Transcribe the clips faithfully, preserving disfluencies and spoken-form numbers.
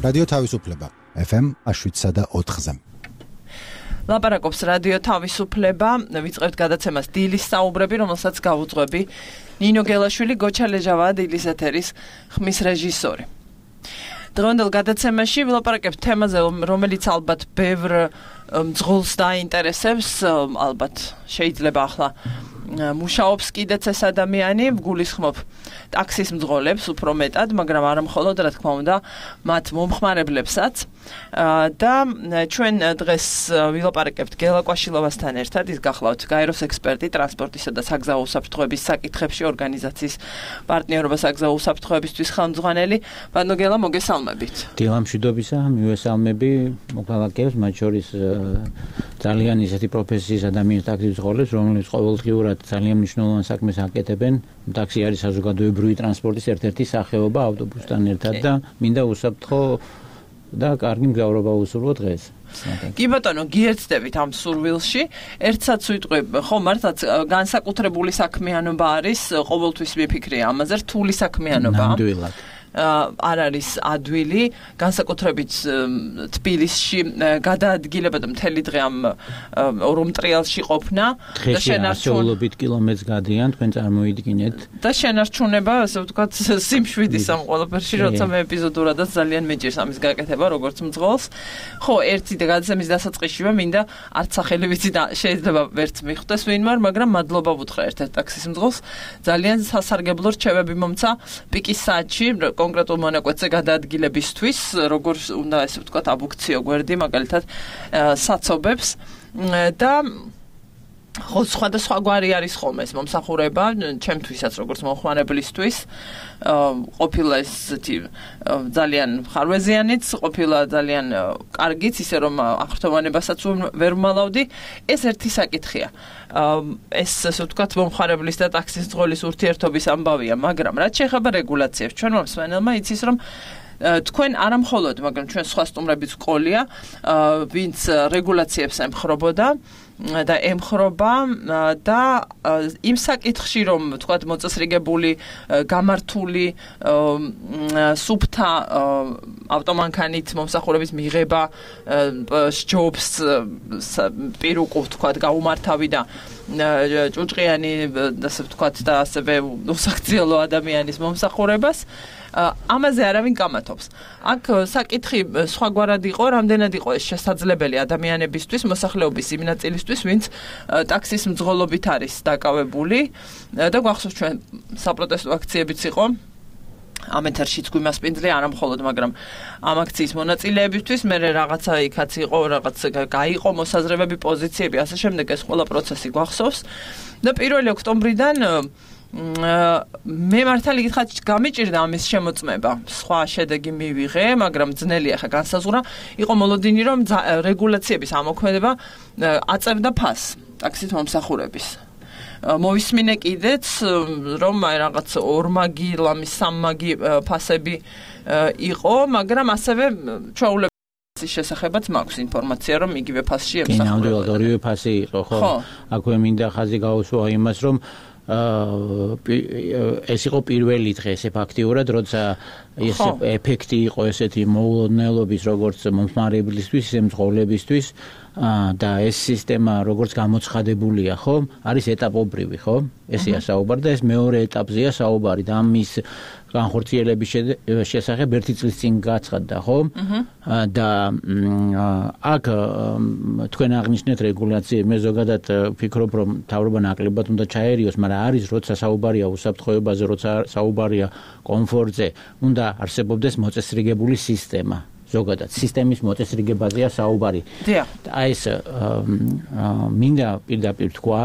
რადიო თავისუფლება ეფ ემ შვიდსა და ოთხზე. ლაპარაკობს რადიო თავისუფლება, ვიწყებთ გადაცემას დილის საუბრები, რომელსაც გავუძღვები ნინო გელაშვილი, გოჩა ლეჟავაა დილის ეთერის ხმის რეჟისორი. დღევანდელ გადაცემაში ვილაპარაკებთ თემაზე, რომელიც ალბათ ბევრ მძღოლს დაინტერესებს, ალბათ შეიძლება ახლა მუშაობს კიდეც ეს ადამიანი, გულისხმობ ტაქსის მძღოლებს უფრო მეტად, მაგრამ არა მხოლოდ, რა თქმა უნდა, მათ მომხმარებლებსაც. და ჩვენ დღეს ვილაპარაკებთ გელა კვაშილოვასთან ერთად, ის გახლავთ გაეროს ექსპერტი ტრანსპორტისა და საგზაო უსაფრთხოების საკითხებში ორგანიზაციის პარტნიორობა საგზაო უსაფრთხოებისთვის ხელმძღვანელი. ბატონო გელა, მოგესალმებით. დილამშვიდობისა, მივესალმები მოქალაქეებს, მათ შორის ძალიან ისეთი პროფესიის ადამიანის ტაქსის მძღოლებს, რომლებიც ყოველდღიურად ძალიან მნიშვნელოვან საქმეს აკეთებენ. ტაქსი არის საზოგადოებრივი ტრანსპორტის ერთ-ერთი სახეობა ავტობუსთან ერთად და მინდა უსაფრთხო და კარგი მგზავრობა უსურვო დღეს. კი ბატონო, გიერთდებით ამ სურვილში. ერთსაც ვიტყვი, ხო, მართლაც განსაკუთრებული საქმიანობა არის, ყოველთვის მიფიქრია ამაზე, რთული საქმიანობა. ნამდვილად. არ არის ადვილი, განსაკუთრებით თბილისში გადაადგილებოდა მთელი დღე ამ ორომტრიალში ყოფნა და შენარჩუნებით კილომეტრს გადიან, თქვენ წარმოიდგინეთ. და შენარჩუნება, ასე ვთქვათ, სიმშვიდის ამ ყველაფერში, როცა მე ეპიზოდურადაც ძალიან მეჭირს ამის გაკეთება, როგორც მძღოლს. ხო, ერთი და გადაცემის დასაწყისშივე მინდა არც სახელი ვიცი და შეიძლება ვერც მიხვდეს ვინმარ, მაგრამ მადლობა ვუთხრა ერთ-ერთ ტაქსის მძღოლს. ძალიან სასარგებლო რჩევები მომცა პიკის საათში კონკრეტულ მონაკვეთზე გადაადგილებისთვის, როგორ უნდა ესე ვთქვათ, აბუქციო გვერდი, მაგალითად, საცობებს და ხო, სხვადასხვა გვარი არის ხოლმე ეს მომსახურება, ჩემთვისაც როგორც მომხმარებლისთვის, ყოფილა ესეთი ძალიან ხარვეზიანიც, ყოფილა ძალიან კარგიც, ისე რომ აღფრთოვანებასაც ვერ მალავდი, ეს ერთი საკითხია. ეს ასე ვთქვათ, მომხმარებლის და ტაქსის მძღოლის ურთიერთობის ამბავია, მაგრამ რაც შეეხება რეგულაციებს, ჩვენ მსმენელმა იცის, რომ თქვენ არა მხოლოდ, მაგრამ ჩვენ სხვა სტუმრებიც ყოლია, ვინც რეგულაციებს ემხრობოდა და ემხრობა და იმ საკითხში, რომ თქვათ მოწესრიგებული, გამართული, სუფთა ავტომანქანით მომსახურების მიღება სჯობს პირუკუ თქვათ გაუმართავი და ჭუჭყიანი, ასე ვთქვათ, და ასევე უსაქციელო ადამიანის მომსახურებას ამაზე არავინ კამათობს. აქ საკითხი სხვაგვარად იყო, რამდენად იყო ეს შესაძლებელი ადამიანებისთვის, მოსახლეობის იმ ნაწილისთვის, ვინც ტაქსის მძღოლობით არის დაკავებული და გვახსოვს ჩვენ საპროტესტო აქციებიც იყო. ამ ეთერშიც გვიმასპინძლე, არა მხოლოდ, მაგრამ ამ აქციის მონაწილეებისთვის, მე რაღაცა იქაც იყო, რაღაც გაიყო მოსაზრებები, პოზიციები, ასე შემდეგ ეს ყველა პროცესი გვახსოვს და პირველი ოქტომბრიდან მე მართალი გითხრათ, გამიჭირდა ამის შემოწმება. სხვა შედეგი მივიღე, მაგრამ ძნელია ხა განსაზღვრა. იყო მოლოდინი, რომ რეგულაციების ამოქმედება აწერდა ფასს ტაქსის მომსახურების. მოვისმინე კიდეც, რომ აი რაღაც ორმაგი, ლამის სამმაგი ფასები იყო, მაგრამ ასევე ჩვეულებრივი შესახებაც მაქვს ინფორმაცია, რომ იგივე ფასში ემსახურებოდა. კი, ნამდვილად ორივე ფასი იყო, ხო? აქვე მინდა ხაზი გაუსვა იმას, რომ ეს იყო პირველი დღე, ესე ფაქტიურად, როცა ეს ეფექტი იყო ესეთი მოულოდნელობის, როგორც მომხმარებლისთვის, ისე მძღოლებისთვის და ეს სისტემა როგორც გამოცხადებულია, ხო? არის ეტაპობრივი, ხო? ესეა საუბარი და ეს მეორე ეტაპზეა საუბარი და ამის განხორციელების შესახებ ერთი წლის წინ გაცხადდა, ხო? და აქ თქვენ აღნიშნეთ რეგულაციები, მე ზოგადად ვფიქრობ, რომ მთავრობა ნაკლებად უნდა ჩაერიოს, მაგრამ არის როცა საუბარია უსაფრთხოებაზე, როცა საუბარია კომფორტზე, უნდა არსებობდეს მოწესრიგებული სისტემა. ზოგადად სისტემის მოწესრიგებაზეა საუბარი. აი ეს მინდა პირდაპირ თქვა,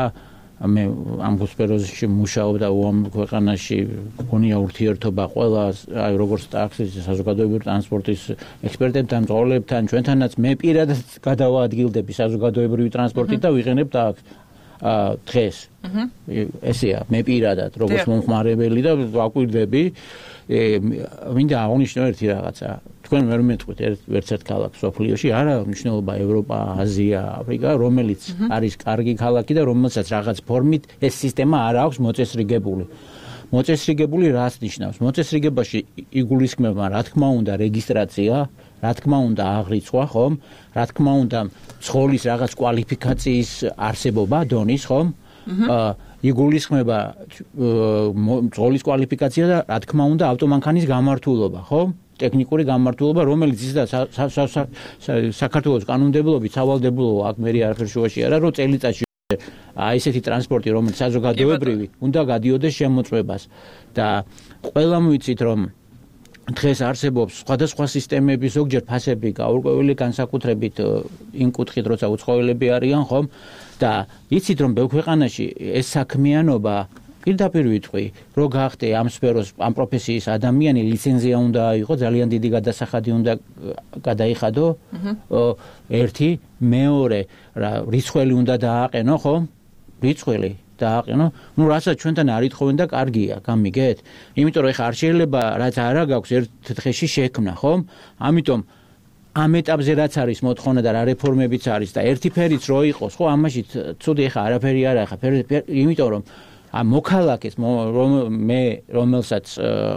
მე ამ სფეროში მუშაობ და უამ ქვეყანაში გქონია ურთიერთობა ყველა, აი როგორც ტაქსის, საზოგადოებრივი ტრანსპორტის ექსპერტებთან, მძღოლებთან, ჩვენთანაც მე პირადად გადავაადგილდები საზოგადოებრივი ტრანსპორტით და ვიყენებ ტაქსს დღეს. ესეა, მე პირადად, როგორც მომხმარებელი და ვაკვირდები, მინდა აღნიშნო ერთი რაღაცა. თქვენ ვერ მეტყვით ერთ ერთ ქალაქს სოფლიოში, არა მნიშვნელობა ევროპა, აზია, აფრიკა, რომელიც არის კარგი ქალაქი და რომელსაც რაღაც ფორმით ეს სისტემა არ აქვს მოწესრიგებული. მოწესრიგებული რას ნიშნავს? მოწესრიგებაში იგულისხმება, რა თქმა უნდა, რეგისტრაცია, რა თქმა უნდა აღრიცხვა, ხომ? რა თქმა უნდა ცხოვლის რაღაც კვალიფიკაციის არსებობა, დონის, ხომ? აა იგულისხმება ცხოვლის კვალიფიკაცია და რა თქმა უნდა ავტომანქანის გამართულობა, ხო? ტექნიკური გამართულობა, რომელიც ის და საქართველოს კანონმდებლობით სავალდებულოა, აქ მე არაფერ შუაში არა, რომ წელიწადში აი ესეთი ტრანსპორტი, რომელიც საზოგადოებრივი, უნდა გადიოდეს შემოწმებას და ყველამ ვიცით, რომ დღეს არსებობს სხვადასხვა სისტემები, ზოგჯერ ფასები გაურკვეველი განსაკუთრებით იმ კუთხით, როცა უცხოელები არიან, ხომ? და იცით, რომ ბევრ ქვეყანაში ეს საქმიანობა პირდაპირ ვიტყვი, რო გახდე ამ სფეროს, ამ პროფესიის ადამიანი, ლიცენზია უნდა აიღო, ძალიან დიდი გადასახადი უნდა გადაიხადო. ერთი, მეორე, რა რიცხველი უნდა დააყენო, ხო? რიცხველი დააყენო. ნუ რასაც ჩვენთან არ ითხოვენ და კარგია, გამიგეთ? იმიტომ რომ ეხა არ შეიძლება რაც არა გაქვს ერთ დღეში შექმნა, ხომ? ამიტომ ამ ეტაპზე რაც არის მოთხოვნა და რა რეფორმებიც არის და ერთი ფერიც რო იყოს, ხო, ამაში ცუდი ეხა არაფერი არა, ეხა იმიტომ რომ ამ მოქალაქეს რომ მე რომელსაც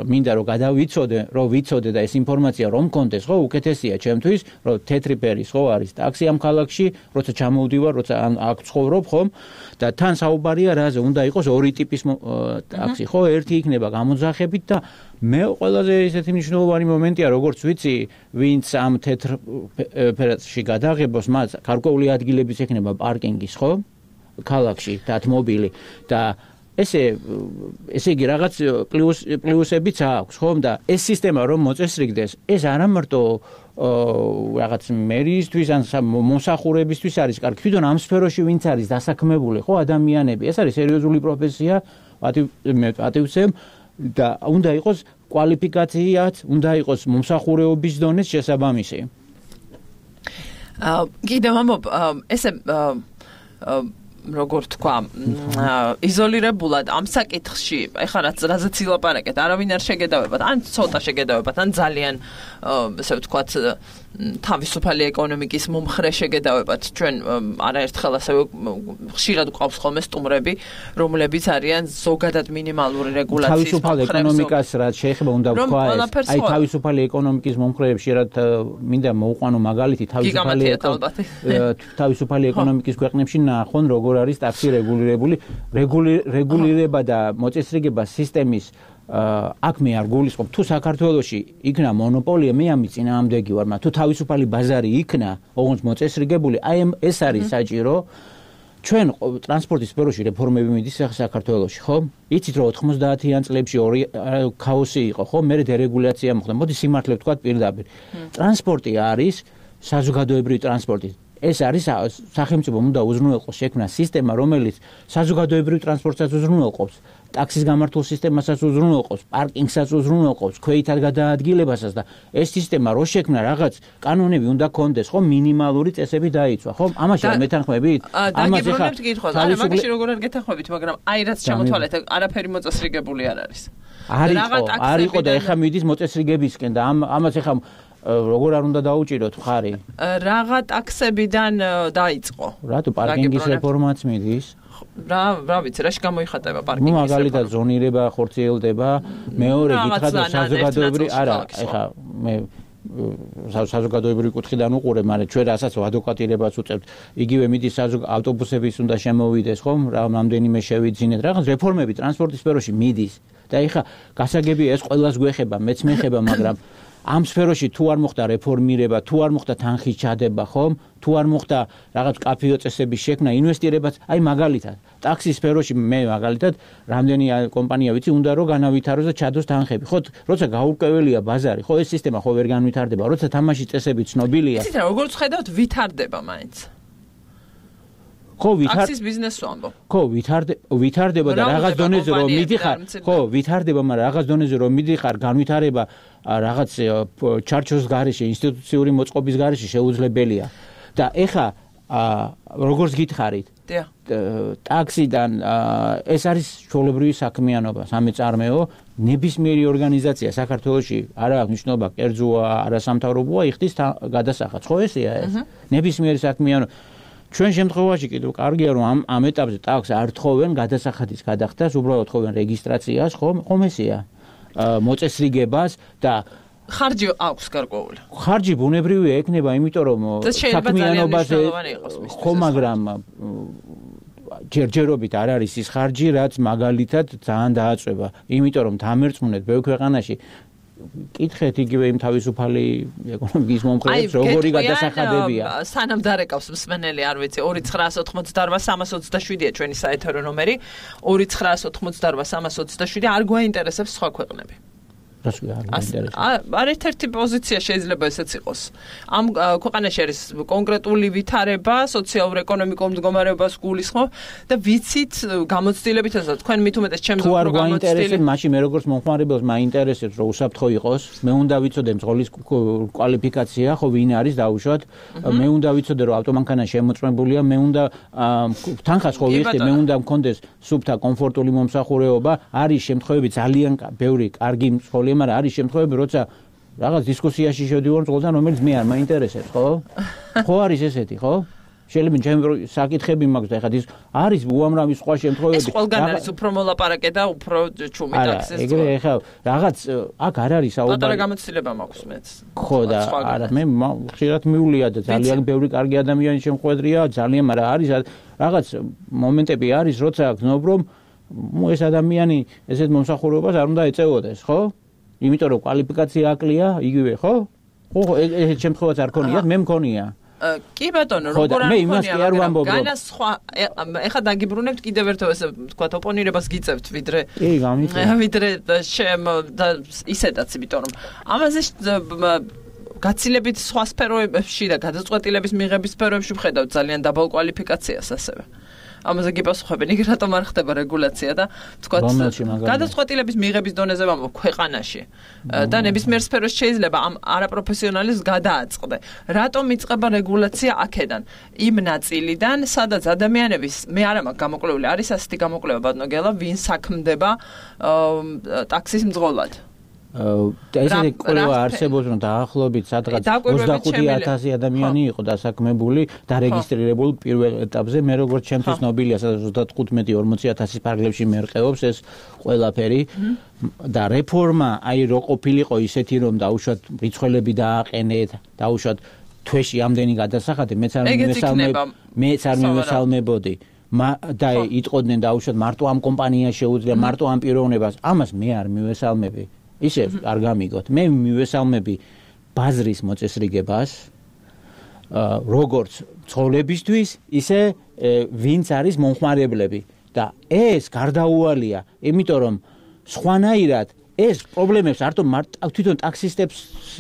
მინდა რომ გადავიცოდე, რომ ვიცოდე და ეს ინფორმაცია რომ მქონდეს, ხო, უკეთესია ჩემთვის, რომ თეთრი ფერის ხო არის ტაქსი ამ ქალაქში, როცა ჩამოვდივარ, როცა აქ ცხოვრობ, ხომ? და თან საუბარია რაზე, უნდა იყოს ორი ტიპის ტაქსი, ხო, ერთი იქნება გამოძახებით და მე ყველაზე ესეთი მნიშვნელოვანი მომენტია, როგორც ვიცი, ვინც ამ თეთრ ფერში გადაღებოს, მას გარკვეული ადგილებიც ექნება პარკინგის, ხო? ქალაქში დათმობილი და ესე ესე იგი რაღაც პლუს პლუსებიც აქვს, ხომ? და ეს სისტემა რომ მოწესრიგდეს, ეს არა მარტო რაღაც მერიისთვის ან მომსახურებისთვის არის კარგი, თვითონ ამ სფეროში ვინც არის დასაქმებული, ხო, ადამიანები, ეს არის სერიოზული პროფესია, პატივცემ და უნდა იყოს კვალიფიკაციაც, უნდა იყოს მომსახურეობის დონეს შესაბამისი. აა კიდევ ამობ ესე როგორ თქვა, იზოლირებულად ამ საკითხში, ეხლა რაც რაზეც ილაპარაკეთ, არავინ არ შეგედავებათ, ან ცოტა შეგედავებათ, ან ძალიან ესე ვთქვათ, თავისუფალი ეკონომიკის მომხრე შეგედავებათ. ჩვენ არაერთხელ ასევე ხშირად გვყავს ხოლმე სტუმრები, რომლებიც არიან ზოგადად მინიმალური რეგულაციის თავისუფალ ეკონომიკას რაც შეეხება უნდა ვქვა ეს. აი თავისუფალი ეკონომიკის მომხრეებს შეიძლება მინდა მოუყვანო მაგალითი თავისუფალი თავისუფალი ეკონომიკის ქვეყნებში ნახონ როგორ არის ტაქსი რეგულირებული, რეგულირება და მოწესრიგება სისტემის აქ მე არ გულისხმობ, თუ საქართველოში იქნა მონოპოლია, მე ამის წინააღმდეგი ვარ, მაგრამ თუ თავისუფალი ბაზარი იქნა, ოღონდ მოწესრიგებული, აი ეს არის საჭირო. ჩვენ ტრანსპორტის სფეროში რეფორმები მიდის საქართველოში, ხო? იცით რომ ოთხმოცდაათიან წლებში ორი ქაოსი იყო, ხო? მერე დერეგულაცია მოხდა. მოდი სიმართლე ვთქვათ პირდაპირ. ტრანსპორტი არის საზოგადოებრივი ტრანსპორტი. ეს არის სახელმწიფომ უნდა უზრუნველყოს შექმნა სისტემა, რომელიც საზოგადოებრივ ტრანსპორტსაც უზრუნველყოფს, ტაქსის გამართულ სისტემასაც უზრუნველყოფს, პარკინგსაც უზრუნველყოფს, ქვეითად გადაადგილებასაც და ეს სისტემა რო შექმნა რაღაც კანონები უნდა კონდეს, ხო, მინიმალური წესები დაიცვა, ხო? ამაში არ მეთანხმებით? ამას ეხა არა, მაგაში როგორ არ გეთანხმებით, მაგრამ აი რაც ჩამოთვალეთ, არაფერი მოწესრიგებული არ არის. არ იყო, არ იყო და ეხა მიდის მოწესრიგებისკენ და ამას ეხა როგორ არ უნდა დაუჭიროთ ხარი? რაღა ტაქსებიდან დაიწყო. რატო პარკინგის რეფორმაც მიდის? რა, რა ვიცი, რაში გამოიხატება პარკინგის რეფორმა? მაგალითად ზონირება ხორციელდება, მეორე გითხრათ საზოგადოებრივი, არა, ეხა მე საზოგადოებრივი კუთხიდან უყურებ, მაგრამ ჩვენ რასაც ადვოკატირებას უწევთ, იგივე მიდის ავტობუსების უნდა შემოვიდეს, ხომ? რამდენიმე შევიძინეთ, რაღაც რეფორმები ტრანსპორტის სფეროში მიდის. და ეხა გასაგებია ეს ყველას გვეხება, მეც მეხება, მაგრამ ამ სფეროში თუ არ მოხდა რეფორმირება, თუ არ მოხდა თანხის ჩადება, ხომ? თუ არ მოხდა რაღაც კაფეო წესების შექმნა, ინვესტირებაც, აი მაგალითად, ტაქსის სფეროში მე მაგალითად რამდენი კომპანია ვიცი, უნდა რომ განავითაროს და ჩადოს თანხები. ხო, როცა გაურკვეველია ბაზარი, ხო, ეს სისტემა ხო ვერ განვითარდება, როცა თამაშის წესები ცნობილია. იცით რა, როგორც ხედავთ, ვითარდება მაინც. ხო, ვითარ ტაქსის ბიზნესს ვამბობ. ხო, ვითარდება, ვითარდება და რაღაც დონეზე რომ მიდიხარ, ხო, ვითარდება, მაგრამ რაღაც დონეზე რომ მიდიხარ, განვითარება რაღაც ჩარჩოს გარეშე, ინსტიტუციური მოწყობის გარეშე შეუძლებელია. და ეხა როგორც გითხარით, ტაქსიდან ეს არის ჩვეულებრივი საქმიანობა, სამეწარმეო, ნებისმიერი ორგანიზაცია საქართველოში არა აქვს მნიშვნელობა, კერძოა, არასამთავრობოა, იხდის გადასახადს, ხო ესეა ეს? ნებისმიერი საქმიანობა. ჩვენ შემთხვევაში კიდევ კარგია რომ ამ ამ ეტაპზე ტაქსს არ თხოვენ გადასახადის გადახდას, უბრალოდ თხოვენ რეგისტრაციას, ხომ? ხომ ესეა? მოწესრიგებას და ხარჯი აქვს გარკვეული. ხარჯი ბუნებრივია ექნება, იმიტომ რომ საქმიანობაზე ხო, მაგრამ ჯერჯერობით არ არის ის ხარჯი, რაც მაგალითად ძალიან დააწვევა. იმიტომ რომ დამერწმუნეთ ბევრ ქვეყანაში კითხეთ იგივე იმ თავისუფალი ეკონომიკის მომხრეებს, როგორი გადასახადებია. სანამ დარეკავს მსმენელი, არ ვიცი, ორი ცხრაას ოთხმოცდაოთხ სამას ოცდაშვიდია ჩვენი საეთერო ნომერი, ორი ცხრაას ოთხმოცდაოთხ სამას ოცდაშვიდი, არ გვაინტერესებს სხვა ქვეყნები. არ ერთ-ერთი პოზიცია შეიძლება ესეც იყოს. ამ ქვეყანაში არის კონკრეტული ვითარება, სოციალურ-ეკონომიკურ მდგომარეობას გულისხმობ და ვიცით გამოცდილებით, ასე თქვენ მით უმეტეს ჩემს რო გამოცდილი, მაშინ მე როგორც მომხმარებელს მაინტერესებს, რომ უსაფრთხო იყოს, მე უნდა ვიცოდე მძღოლის კვალიფიკაცია, ხო ვინ არის დაუშვათ, მე უნდა ვიცოდე, რომ ავტომანქანა შემოწმებულია, მე უნდა თანხას ხო ვიხდი, მე უნდა მქონდეს სუფთა კომფორტული მომსახურეობა, არის შემთხვევები ძალიან ბევრი კარგი მძღოლი მაგრამ არის შემთხვევები, როცა რაღაც დისკუსიაში შევდივარ მძღოლთან, რომელიც მე არ მაინტერესებს, ხო? ხო არის ესეთი, ხო? შეიძლება ჩემი საკითხები მაქვს და ეხლა ის არის უამრავი სხვა შემთხვევები. ეს ყველგან არის უფრო მოლაპარაკე და უფრო ჩუმი ტაქსის. არა, ეგრე ეხლა რაღაც აქ არ არის საუბარი. პატარა გამოცდილება მაქვს მეც. ხო და არა, მე ხშირად მივლია და ძალიან ბევრი კარგი ადამიანი შემხვედრია, ძალიან, მაგრამ არის რაღაც მომენტები არის, როცა გზნობ რომ ეს ადამიანი ესეთ მომსახურებას არ უნდა ეწეოდეს, ხო? იმიტომ რომ კვალიფიკაცია აკლია, იგივე, ხო? ხო, ეს შემთხვევაც არ ქონიათ, მე მქონია. კი ბატონო, როგორ არ მქონია, მაგრამ განასხვა, ეხლა დაგიბრუნებთ კიდევ ერთხელ ესე თქვა ოპონირებას გიწევთ, ვიდრე კი, გამიწევთ. ვიდრე შემ და ისედაც, იმიტომ რომ ამაზე გაცილებით სხვა სფეროებში და გადაწყვეტილების მიღების სფეროებში ვხედავთ ძალიან დაბალ კვალიფიკაციას ასევე. ამაზე გიპასუხებენ, იგი რატომ არ ხდება რეგულაცია და თქვათ გადაწყვეტილების მიღების დონეზე ვამბობ ქვეყანაში და ნებისმიერ სფეროში შეიძლება ამ არაპროფესიონალის გადააწყდე. რატომ იწყება რეგულაცია აქედან? იმ ნაწილიდან, სადაც ადამიანების მე არა მაქვს გამოკვლეული, არის ასეთი გამოკვლევა ბატონო გელა, ვინ საქმდება ტაქსის მძღოლად. ესეთი კვლევა არსებობს, რომ დაახლოებით სადღაც ოცდახუთი ათასი ადამიანი იყო დასაქმებული, დარეგისტრირებული პირველ ეტაპზე. მე როგორც ჩემთვის ნობილია, სადაც ოცდათხუთმეტი ორმოცი ათასის ფარგლებში მერყეობს ეს ყველაფერი და რეფორმა აი რო ყოფილიყო ისეთი, რომ დაუშვათ რიცხველები დააყენეთ, დაუშვათ თვეში ამდენი გადასახადი, მეც არ მივესალმებ, მეც არ მივესალმებოდი. და იტყოდნენ დაუშვათ მარტო ამ კომპანიას შეუძლია, მარტო ამ პიროვნებას, ამას მე არ მივესალმები. ისე არ გამიგოთ. მე მივესალმები ბაზრის მოწესრიგებას, როგორც ცხოვლებისთვის, ისე ვინც არის მომხმარებლები და ეს გარდაუვალია, იმიტომ რომ სხვანაირად ეს პრობლემებს არტო თვითონ ტაქსისტებს,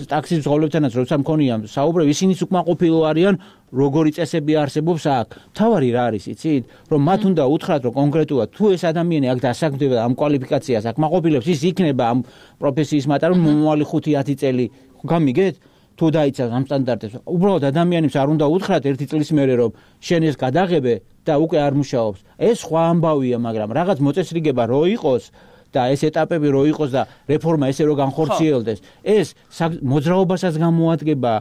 ტაქსის მძღოლებთანაც როცა მქონია საუბრები, ისინიც უკმაყოფილო არიან, როგორი წესები არსებობს აქ. თავარი რა არის, იცით? რომ მათ უნდა უთხრათ, რომ კონკრეტულად თუ ეს ადამიანი აქ დასაქმდება ამ კვალიფიკაციას აკმაყოფილებს, ის იქნება ამ პროფესიის მატარებელ მომავალი ხუთი ათი წელი. გამიგეთ? თუ დაიცავს ამ სტანდარტებს, უბრალოდ ადამიანებს არ უნდა უთხრათ ერთი წლის მერე, რომ შენ ეს გადაღებე და უკვე არ მუშაობს. ეს სხვა ამბავია, მაგრამ რაღაც მოწესრიგება რო იყოს და ეს ეტაპები რო იყოს და რეფორმა ესე რო განხორციელდეს, ეს მოძრაობასაც გამოადგება,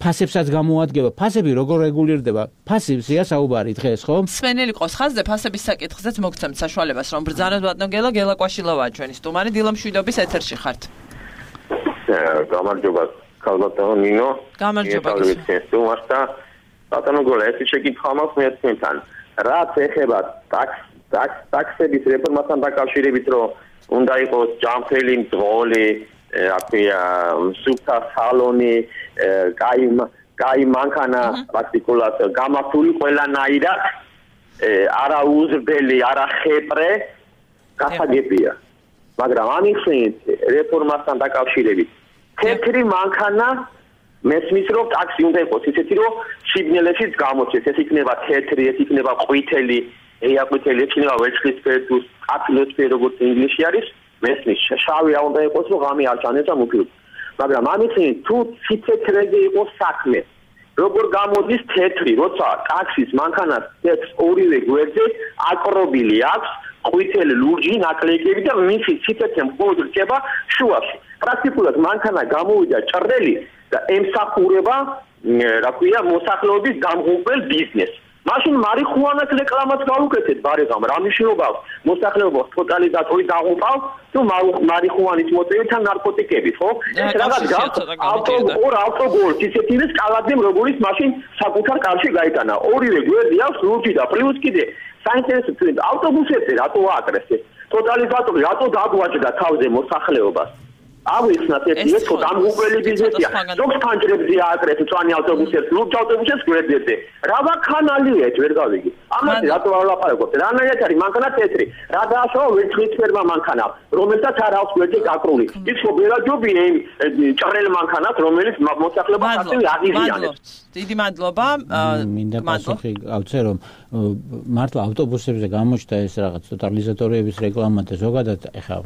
ფასებსაც გამოადგება. ფასები როგორ რეგულირდება? ფასებია საუბარი დღეს, ხო? მსმენელი ყავს ხაზზე ფასების საკითხზეც მოგცემთ საშუალებას, რომ ბრძანოთ ბატონო გელა, გელა კვაშილოვაა ჩვენი სტუმარი, დილა მშვიდობის ეთერში ხართ. გამარჯობა, ქალბატონო ნინო. გამარჯობა. სტუმარს და ბატონო გოლა, ეს შეკითხვა მაქვს მეცნიერთან. რაც ეხება ტაქს ტაქსების რეფორმასთან დაკავშირებით, რომ უნდა იყოს ჯანმრთელი მძღოლი, აფია სუფთა სალონი, კაი კაი მანქანა პრაქტიკულად გამართული ყველანაირად, არა უზრდელი, არა ხეპრე, გასაგებია. მაგრამ ამიხსენით რეფორმასთან დაკავშირებით, თეთრი მანქანა მესმის რომ ტაქსი უნდა იყოს ისეთი, რომ სიგნალებშიც გამოჩეს, ეს იქნება თეთრი, ეს იქნება ყვითელი, ეაყვითელი, ეს იქნება ვერცხლისფერი თუ აფილოსფერი, როგორც ინგლისში არის, მესმის შავი არ უნდა იყოს, რომ ღამე არ ჩანდეს და მუქი. მაგრამ ამისინი თუ ციფრებზე იყოს საქმე, როგორ გამოდის თეთრი, როცა ტაქსის მანქანას თეთრ ორივე გვერდზე აკრობილი აქვს ყვითელი ლურჯი ნაკლეიკები და მისი ციფრებზე მხოლოდ რჩება შუაში. პრაქტიკულად მანქანა გამოვიდა ჭრელი და ემსახურება, რა ქვია, მოსახლეობის გამღუპელ ბიზნესს. მაშინ მარიხუანას რეკლამას გავუკეთეთ ბარეგამ რა მნიშვნელობა აქვს მოსახლეობას ტოტალიზატორი დაღუპავ თუ მარიხუანის მოწევით ან ნარკოტიკებით ხო ეს რაღაც გაქვს ავტოგოლ ავტოგოლს ისეთი ის კალადემ როგორიც მაშინ საკუთარ კარში გაიტანა ორივე გვერდი აქვს ლურჯი და პლუს კიდე საინტერესო თვით ავტობუსებზე რატო ააკრეს ეს ტოტალიზატორი რატო დაგვაჭდა თავზე მოსახლეობას ავიხსნათ ერთი ეს დამღუპველი ბიზნესია ზოგ ფანჯრებზე ააკრეს წვანი ავტობუსებს ლურჯ ავტობუსებს გვერდებზე რა ვაქანალია ეს ვერ გავიგი ამაზე რატო არ ვლაპარაკობთ რანაირად არის მანქანა თეთრი რა დააშოვა ვერცხლისფერმა მანქანა რომელსაც არ აქვს გვერდი გაკრული ის ხო ბერაჯობია იმ ჭრელ მანქანას რომელიც მოსახლეობას ასევე აღიზიანებს დიდი მადლობა მინდა პასუხი გავცე რომ მართლა ავტობუსებზე გამოჩნდა ეს რაღაც ტოტალიზატორების რეკლამა და ზოგადად ეხა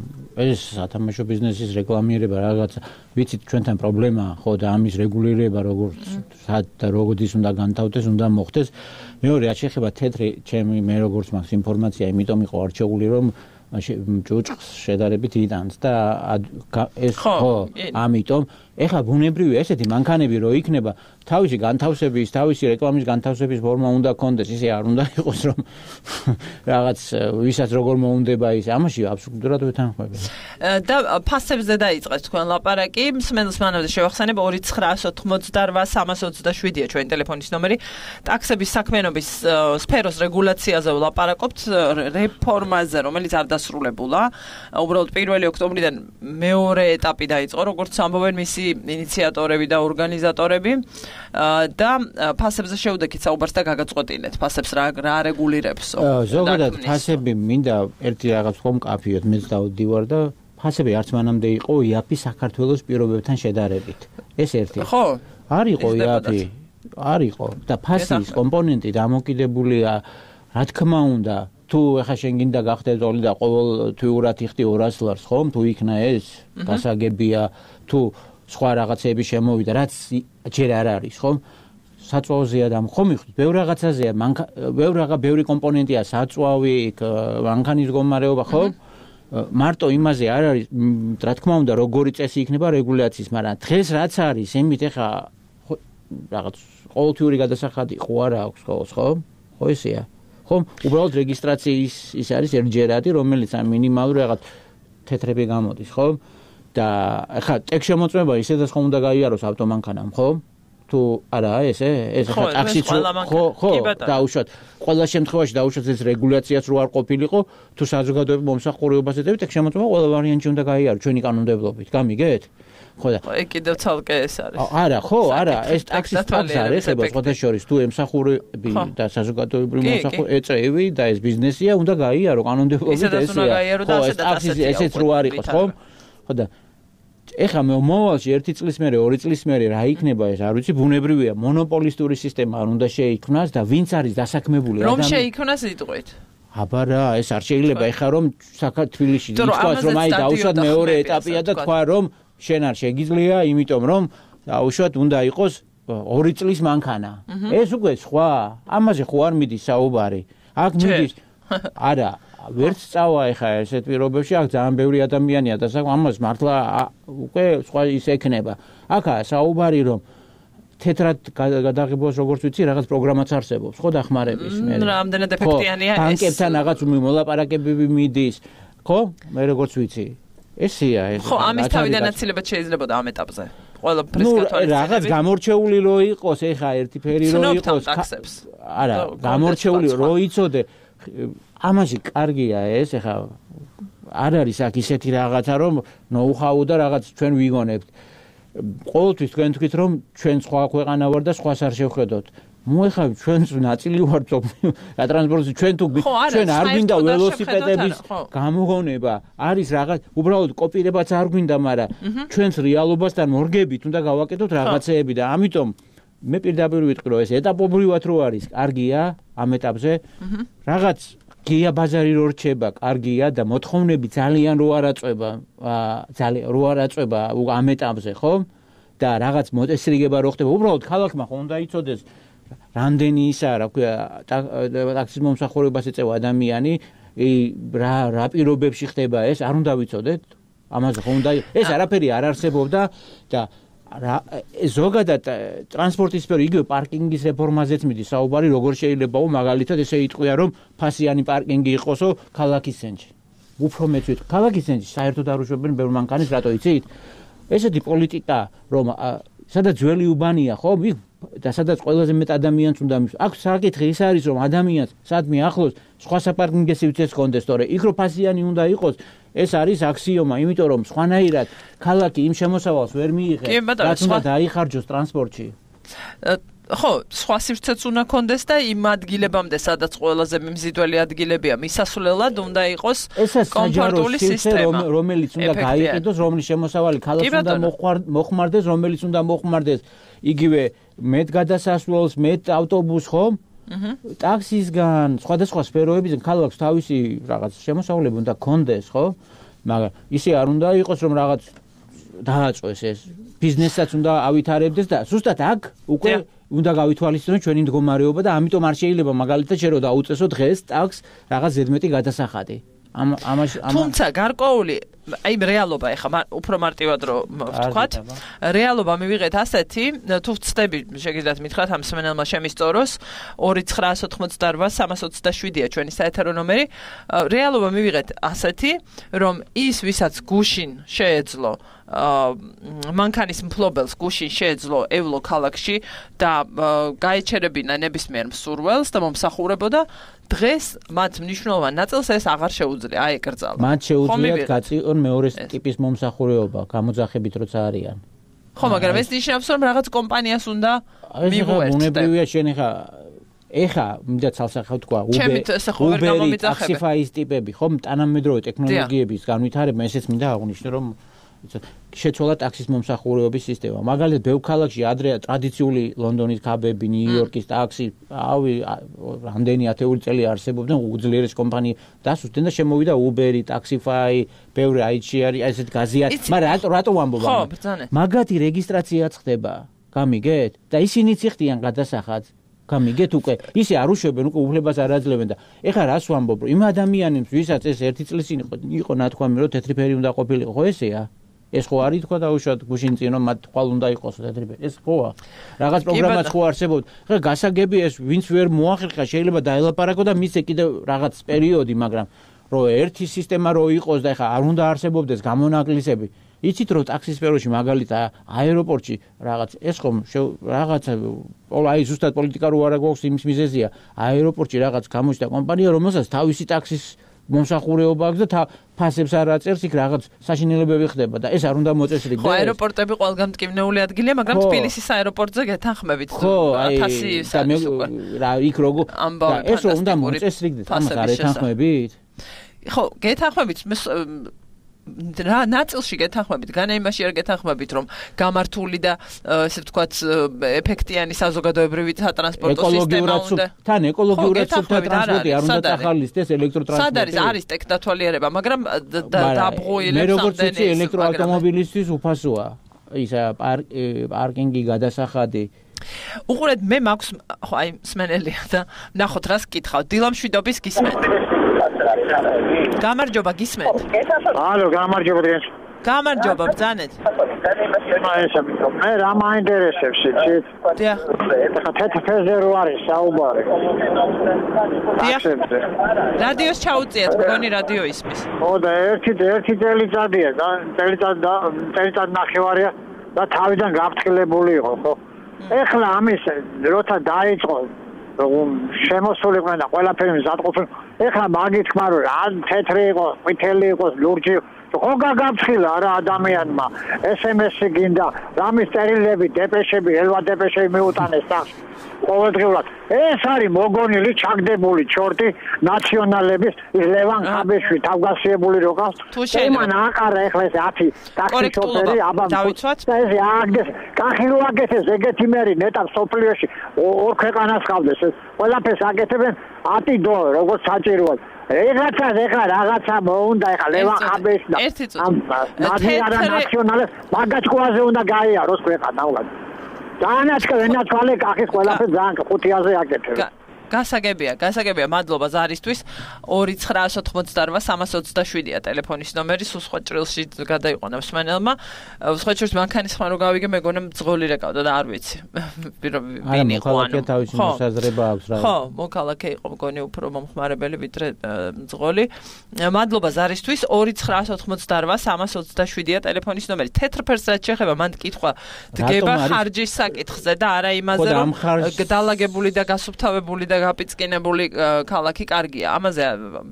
ეს სათამაშო ბიზნესის რეკლამირება რაღაც ვიცით ჩვენთან პრობლემაა ხო და ამის რეგულირება როგორც სად და როგორიც უნდა განთავდეს უნდა მოხდეს მეორე რაც შეეხება თეთრი ჩემი მე როგორც მაქვს ინფორმაცია იმიტომ იყო არჩეული რომ ჯუჭყს შედარებით იტანს და ეს ხო ამიტომ ეხლა ბუნებრივია ესეთი მანქანები რო იქნება თავისი განთავსების თავისი რეკლამის განთავსების ფორმა უნდა კონდეს ისე არ უნდა იყოს რომ რაღაც ვისაც როგორ მოუნდება ის ამაში აბსოლუტურად ვეთანხმები და ფასებზე დაიწყეს თქვენ ლაპარაკი მსმენელს მანამდე შევახსენებ ორი ცხრა ოთხმოცდაოთხ სამას ოცდაშვიდია ჩვენი ტელეფონის ნომერი ტაქსების საქმიანობის სფეროს რეგულაციაზე ვლაპარაკობთ რეფორმაზე რომელიც არ დასრულებულა უბრალოდ პირველი ოქტომბრიდან მეორე ეტაპი დაიწყო როგორც ამბობენ მისი ინიციატორები და ორგანიზატორები და ფასებზე შევდექით საუბარს და გაგაწყვეტინეთ ფასებს რა რა რეგულირებსო ზოგადად ფასები მინდა ერთი რაღაც ხომ კაფიოთ მეც დავდივარ და ფასები არც მანამდე იყო იაფი საქართველოს პირობებთან შედარებით ეს ერთი ხო არ იყო იაფი არ იყო და ფასის კომპონენტი დამოკიდებულია რა თქმა უნდა თუ ეხა შენ გინდა გახდე ზოლი და ყოველთვიურად იხდი ორას ლარს ხომ თუ იქნა ეს გასაგებია თუ სხვა რაღაცები შემოვიდა რაც ჯერ არ არის ხომ საწვავზეა და ხომ მიხდით ბევრ რაღაცაზეა ბევრ რაღა ბევრი კომპონენტია საწვავი მანქანის გომარეობა ხო მარტო იმაზე არ არის რა თქმა უნდა როგორი წესი იქნება რეგულაციის მაგრამ დღეს რაც არის იმით ეხა რაღაც ყოველთვიური გადასახადი ხო არა აქვს ხოლოს ხო ხო ესეა ხომ უბრალოდ რეგისტრაციის ის არის ერთჯერადი რომელიც ამ მინიმალური რაღაც თეთრები გამოდის ხო და ახლა ტექს შემოწმება ისედაც ხომ უნდა გაიაროს ავტომანქანამ ხო თუ არა ესე ეს ახლა ტაქსიც ხო ხო დაუშვათ ყველა შემთხვევაში დაუშვათ ეს რეგულაციაც რო არ ყოფილიყო თუ საზოგადოების მომსახურებას ეტევით ტექს შემოწმება ყველა ვარიანტი უნდა გაიარო ჩვენი კანონმდებლობით გამიგეთ ხო და ეგ კიდევ ცალკე ეს არის არა ხო არა ეს ტაქსის ტაქსი არის ეხება სხვადასხვა თუ ემსახურები და საზოგადოებრივი მომსახურე ეწევი და ეს ბიზნესია უნდა გაიარო კანონმდებლობით ესეა ხო ეს ტაქსი ესეც რო არ იყოს ხო ხო და ეხლა მოვალში ერთი წლის მერე ორი წლის მერე რა იქნება ეს არ ვიცი ბუნებრივია მონოპოლისტური სისტემა არ უნდა შეიქმნას და ვინც არის დასაქმებული ადამიანი რომ შეიქმნას იტყვით აბა რა ეს არ შეიძლება ეხლა რომ საქართველოში ითქვას რომ აი დაუშვათ მეორე ეტაპია და თქვა რომ შენ არ შეგიძლია იმიტომ რომ დაუშვათ უნდა იყოს ორი წლის მანქანა ეს უკვე სხვა ამაზე ხო არ მიდის საუბარი აქ მიდის არა ვერც წავა ეხა ესეთ პირობებში აქ ძალიან ბევრი ადამიანია და ამას მართლა უკვე სხვა ის ექნება აქა საუბარი რომ თეთრად გადაღებას როგორც ვიცი რაღაც პროგრამაც არსებობს ხო დახმარების მე რამდენად ეფექტიანია ეს ბანკებთან რაღაც მოლაპარაკებები მიდის ხო მე როგორც ვიცი ესეა ეს ხო ამის თავიდანაცილება შეიძლება და ამ ეტაპზე ყველა პრესკატორი რაღაც გამორჩეული რო იყოს ეხა ერთი ფერი რო იყოს არა გამორჩეული რო იცოდე ამაში კარგია ეს ეხა არ არის აქ ისეთი რაღაცა რომ ნოუ-ჰაუ და რაღაც ჩვენ ვიგონებთ ყოველთვის თქვენ თქვით რომ ჩვენ სხვა ქვეყანა ვარ და სხვას არ შევხედოთ მოეხავ ჩვენს ნაწილი ვარ რა ტრანსპორტი ჩვენ თუ ჩვენ არ გვინდა ველოსიპედების გამოგონება არის რაღაც უბრალოდ კოპირებაც არ გვინდა მაგრამ ჩვენს რეალობასთან მორგებით უნდა გავაკეთოთ რაღაცეები და ამიტომ მე პირდაპირ ვიტყვი რომ ეს ეტაპობრივად რო არის კარგია ამ ეტაპზე რაღაც გია ბაზარი რო რჩება კარგია და მოთხოვნები ძალიან რო არაწובה ძალიან რო არაწובה ამ ეტაპზე ხო და რაღაც მოწესრიგება რო ხდება უბრალოდ ქალაქმა ხო უნდა იცოდეს რამდენი ისა რა ქვია ტაქსის მომსახურებას ეწევა ადამიანი რა რა პირობებში ხდება ეს არ უნდა ვიცოდეთ ამაზე ხო უნდა ეს არაფერი არ არსებობდა და ზოგადად ტრანსპორტის სფერო იგივე პარკინგის რეფორმაზეც მიდის საუბარი, როგორ შეიძლებაო მაგალითად ესე იტყვია, რომ ფასიანი პარკინგი იყოსო ქალაქის ცენტრში. უფრო მეც ვიტყვი, ქალაქის ცენტრში საერთოდ არ უშვებენ ბევრ მანქანას, რატო იცით? ესეთი პოლიტიკა, რომ სადაც ძველი უბანია, ხო, და სადაც ყველაზე მეტ ადამიანს უნდა მის. აქ საკითხი ის არის, რომ ადამიანს სადმე ახლოს სხვა საპარკინგო სივრცეც კონდეს, თორე იქ რო ფასიანი უნდა იყოს, ეს არის აქსიომა, იმიტომ რომ სხვანაირად ქალაქი იმ შემოსავალს ვერ მიიღებს, რაც უნდა დაიხარჯოს ტრანსპორტში. ხო, სხვა სივრცეც უნდა კონდეს და იმ ადგილებამდე, სადაც ყველაზე მიმზიდველი ადგილებია, მისასვლელად უნდა იყოს კომფორტული სისტემა, რომელიც უნდა გაიყიდოს, რომლის შემოსავალი ქალაქს უნდა მოხმარდეს, რომელიც უნდა მოხმარდეს იგივე მეტ გადასასვლელს, მეტ ავტობუსს, ხო? ტაქსისგან, სხვადასხვა სფეროებიდან ქალაქს თავისი რაღაც შემოსავლები უნდა კონდეს, ხო? მაგრამ ისე არ უნდა იყოს, რომ რაღაც დააწყვეს ეს ბიზნესაც უნდა ავითარებდეს და ზუსტად აქ უკვე უნდა გავითვალისწინოთ ჩვენი მდგომარეობა და ამიტომ არ შეიძლება მაგალითად შერო დაუწესო დღეს ტაქსს რაღაც ზედმეტი გადასახადი. ამ ამაში თუმცა გარკვეული აი რეალობა ეხა უფრო მარტივად რომ ვთქვათ, რეალობა მივიღეთ ასეთი, თუ ვწდები შეგიძლიათ მითხრათ ამ სმენელმა შემისწოროს ორი ცხრა ოთხმოცდაოთხ სამას ოცდაშვიდია ჩვენი საეთერო ნომერი, რეალობა მივიღეთ ასეთი, რომ ის ვისაც გუშინ შეეძლო მანქანის მფლობელს გუშინ შეეძლო ევლო ქალაქში და გაეჩერებინა ნებისმიერ მსურველს და მომსახურებოდა დღეს მათ მნიშვნელოვან ნაწილს ეს აღარ შეუძლია აეკრძალა. მათ შეუძლიათ გაწიონ მეორე ტიპის მომსახურეობა, გამოძახებით როცა არიან. ხო, მაგრამ ეს ნიშნავს რომ რაღაც კომპანიას უნდა მივუერთდე. უნებრივია შენ ხა ეხა მინდა ცალსახავ თქვა Uber-ი, Taxify-ის ტიპები, ხო, თანამედროვე ტექნოლოგიების განვითარება, ესეც მინდა აღვნიშნო, რომ შეცვალა ტაქსის მომსახურეობის სისტემა. მაგალითად, ბევრ ქალაქში ადრე ტრადიციული ლონდონის კაბები, ნიუ-იორკის ტაქსი, ავი რამდენი ათეული წელი არსებობდნენ უძლიერეს კომპანია დასუსტდნენ და შემოვიდა Uber-ი, Taxify, ბევრი აიჩიარი, ესეთ გაზიარი. მაგრამ რატო ვამბობ? ხო, ბრძანე. მაგათი რეგისტრაციაც ხდება. გამიგეთ? და ისინიც იხდიან გადასახადს. გამიგეთ უკვე ისე არ უშვებენ, უკვე უფლებას არ აძლევენ და ეხლა რას ვამბობ, რომ იმ ადამიანებს, ვისაც ეს ერთი წლის წინ იყო, იყო ნათქვამი, რომ თეთრი ფერი უნდა ყოფილიყო, ხო ესეა? ეს ხო არის თქვა დაუშვათ გუშინ წინ რომ მათ თვალ უნდა იყოს თეთრი ფერი. ეს ხოა. რაღაც პროგრამაც ხო არსებობს. ხა გასაგები ეს ვინც ვერ მოახერხა შეიძლება დაელაპარაკო და მისცე კიდევ რაღაც პერიოდი, მაგრამ რომ ერთი სისტემა რო იყოს და ეხლა არ უნდა არსებობდეს გამონაკლისები. იცით რომ ტაქსის სფეროში მაგალითად აეროპორტში რაღაც ეს ხომ რაღაცა აი ზუსტად პოლიტიკა რო არა გვაქვს იმის მიზეზია აეროპორტში რაღაც გამოჩნდა კომპანია რომელსაც თავისი ტაქსის მომსახურეობა აქვს და ფასებს არ აწერს იქ რაღაც საშინელებები ხდება და ეს არ უნდა მოწესრიგდეს. ხო, აეროპორტები ყველგან მტკივნეული ადგილია, მაგრამ თბილისის აეროპორტზე გეთანხმებით ათასი საათი უკვე. რა იქ როგორ და ეს რომ უნდა მოწესრიგდეს, ამას არ ეთანხმებით? ხო, გეთანხმებით რა ნაწილში გეთანხმებით, განა იმაში არ გეთანხმებით, რომ გამართული და ესე ვთქვათ ეფექტიანი საზოგადოებრივი სატრანსპორტო სისტემა უნდა. თან ეკოლოგიურად სუფთა ტრანსპორტი არ უნდა ახალისდეს ელექტროტრანსპორტი. სად არის არის ტექნათვალიერება, მაგრამ დაბრუნებული მე როგორც ვიცი ელექტროავტომობილისთვის უფასოა. ის პარკინგი, გადასახადი. უყურეთ, მე მაქვს ხო აი სმენელია და ნახოთ რას კითხავ. დილამშვიდობის გისმენთ. გამარჯობა, გისმენთ. ალო, გამარჯობა დღეს. გამარჯობა, ბრძანეთ. მე რა მაინტერესებს იცით? დიახ. ეხლა თეთრ ფერზე რო არის საუბარი. დიახ. რადიოს ჩაუწიეთ, მგონი რადიო ისმის. ხო და ერთი ერთი წელიწადია, წელიწად წელიწად ნახევარია და თავიდან გაფრთხილებული იყო, ხო? ეხლა ამის როცა დაიწყო შემოსულიყვნენ და ყველაფერი მზადყოფილი. ეხლა მაგითქმა რომ ან თეთრი იყოს, ყვითელი იყოს, ლურჯი ხო გაგაფრთხილა რა ადამიანმა ეს ემ ესი გინდა რამის წერილები, დეპეშები, ელვა დეპეშები მიუტანეს და ყოველდღიურად ეს არის მოგონილი, ჩაგდებული ჩორტი ნაციონალების ლევან ხაბეშვი თავგასიებული როგავს იმან აყარა ეხლა ეს ათი ტაქსი შოფერი აბა და ეს აგდეს კახი რო აკეთეს ეგეთი მერი ნეტა სოფლიოში ორ ქვეყანას ხავდეს ეს ყველაფერს აკეთებენ ათი დო როგორც საჭიროა ეხლა ეხლა რაღაცა მოუნდა ეხლა ლევან ხაბეშვი და ამ ნაციონალებს მაგაჭკუაზე უნდა გაიაროს ქვეყანა უბრალოდ დაანაჩქა ვენაჩვალე კახის ყველაფერს ძალიან ხუთიაზე აკეთებს. გასაგებია, გასაგებია, მადლობა ზარისთვის. ორი ცხრაას ოთხმოცდარვა სამას ოცდაშვიდია ტელეფონის ნომერი, სულ სხვა ჭრილში გადაიყვანა მსმენელმა. სხვა შორის მანქანის ხმა რო გავიგე, მეგონა მძღოლი რეკავდა და არ ვიცი. ვინ იყო ანუ? თავისი მოსაზრება აქვს რა. ხო, მოქალაქე იყო მგონი უფრო მომხმარებელი ვიდრე მძღოლი. მადლობა ზარისთვის. ორი ცხრაას ოთხმოცდარვა სამას ოცდაშვიდია ტელეფონის ნომერი. თეთრ ფერს რაც შეეხება, მან კითხვა დგება ხარჯის საკითხზე და არა იმაზე, რომ დალაგებული და გასუფთავებული და გაპიწყინებული ქალაქი კარგია. ამაზე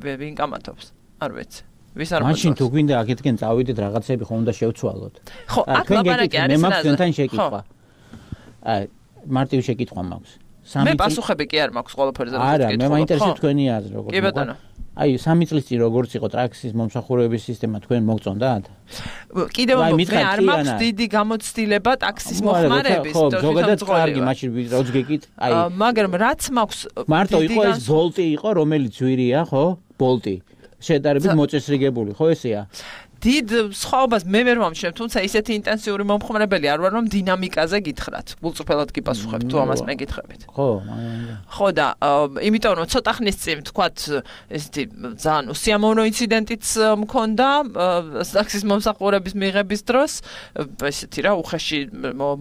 ვინ კამათობს? არ ვიცი. ვის არ მოწონს? მაშინ თუ გვინდა აქეთკენ წავიდეთ რაღაცები ხომ უნდა შევცვალოთ. ხო, აქ ლაპარაკი არის. მე მაქვს თქვენთან შეკითხვა. აი, მარტივი შეკითხვა მაქვს. მე პასუხები კი არ მაქვს ყველაფერზე. არა, მე მაინტერესებს თქვენი აზრი როგორ. კი ბატონო. აი, სამი წლის წინ როგორც იყო ტრაქსის მომსახურების სისტემა თქვენ მოგწონდათ? კიდევ მე არ მაქვს დიდი გამოცდილება ტაქსის მოხმარების, ხო, ზოგადად კარგი, მაშინ როც გეკით, აი. მაგრამ რაც მაქვს მარტო იყო ეს ბოლტი იყო, რომელიც ვირია, ხო? ბოლტი. შედარებით მოწესრიგებული, ხო ესეა? დიდ სხვაობას მე ვერ ვამშვენ, თუმცა ისეთი ინტენსიური მომხმარებელი არ ვარ, რომ დინამიკაზე გითხრათ. გულწრფელად გიპასუხებ თუ ამას მეკითხებით. ხო, ხო და იმიტომ რომ ცოტა ხნის წინ თქვათ ესეთი ძალიან უსიამოვნო ინციდენტიც მქონდა ტაქსის მომსახურების მიღების დროს, ესეთი რა უხეში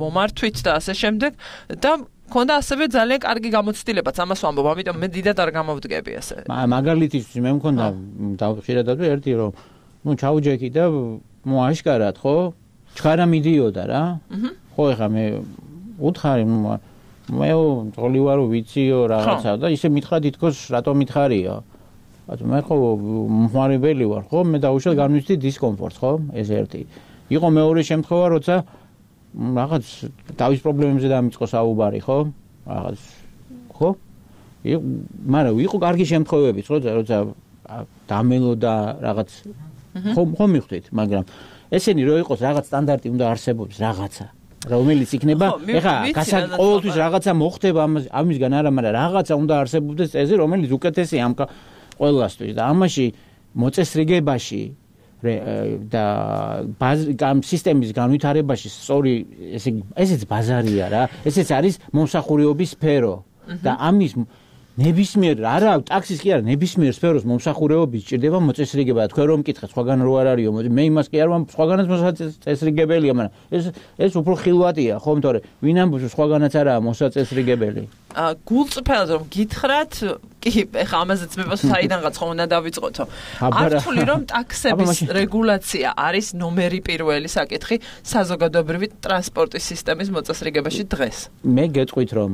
მომართვით და ასე შემდეგ და მქონდა ასევე ძალიან კარგი გამოცდილებაც, ამას ვამბობ, ამიტომ მე დიდად არ გამოვდგები ასე. მაგალითისთვის მე მქონდა დავხშირად ერთი რომ ну ჩაუჯექი და მოაშკარად, ხო? ჩქარა მიდიოდა რა. ხო, ეხა მე უთხარი, მე ძღოლი ვარო ვიციო რაღაცა და ისე მითხრა თითქოს რატომ მითხარია? ბატონო, მე ხო მომხმარებელი ვარ, ხო? მე დაუშვათ განვიცდი დისკომფორტს, ხო? ეს ერთი. იყო მეორე შემთხვევა, როცა რაღაც დავის პრობლემებზე დამიწყო საუბარი, ხო? რაღაც ხო? მაგრამ იყო კარგი შემთხვევებიც, ხო, როცა დამელოდა რაღაც ხომ ხომ მიხვდით, მაგრამ ესენი რო იყოს რაღაც სტანდარტი უნდა არსებობს რაღაცა, რომელიც იქნება, ეხა ყოველთვის რაღაცა მოხდება ამისგან არა, მაგრამ რაღაცა უნდა არსებობდეს წესი, რომელიც უკეთესია ამ ყველასთვის და ამაში მოწესრიგებაში და ამ სისტემის განვითარებაში სწორი ესე ესეც ბაზარია რა, ესეც არის მომსახურეობის სფერო და ამის ნებისმიერ არა ტაქსის კი არა ნებისმიერ სფეროს მომსახურეობის ჭირდება მოწესრიგება. თქვენ რომ მკითხეთ, სხვაგან რო არ არისო, მე იმას კი არ ვამ, სხვაგანაც მოწესრიგებელია, მაგრამ ეს ეს უფრო ხილვატია, ხო, თორე ვინ ამბობს სხვაგანაც არაა მოსაწესრიგებელი. აა გულწრფელად რომ გითხრათ, კი, ეხა ამაზეც მე პასუხი საიდანღაც ხომ უნდა დავიწყოთო. არ ვთვლი რომ ტაქსების რეგულაცია არის ნომერი პირველი საკითხი საზოგადოებრივი ტრანსპორტის სისტემის მოწესრიგებაში დღეს. მე გეტყვით რომ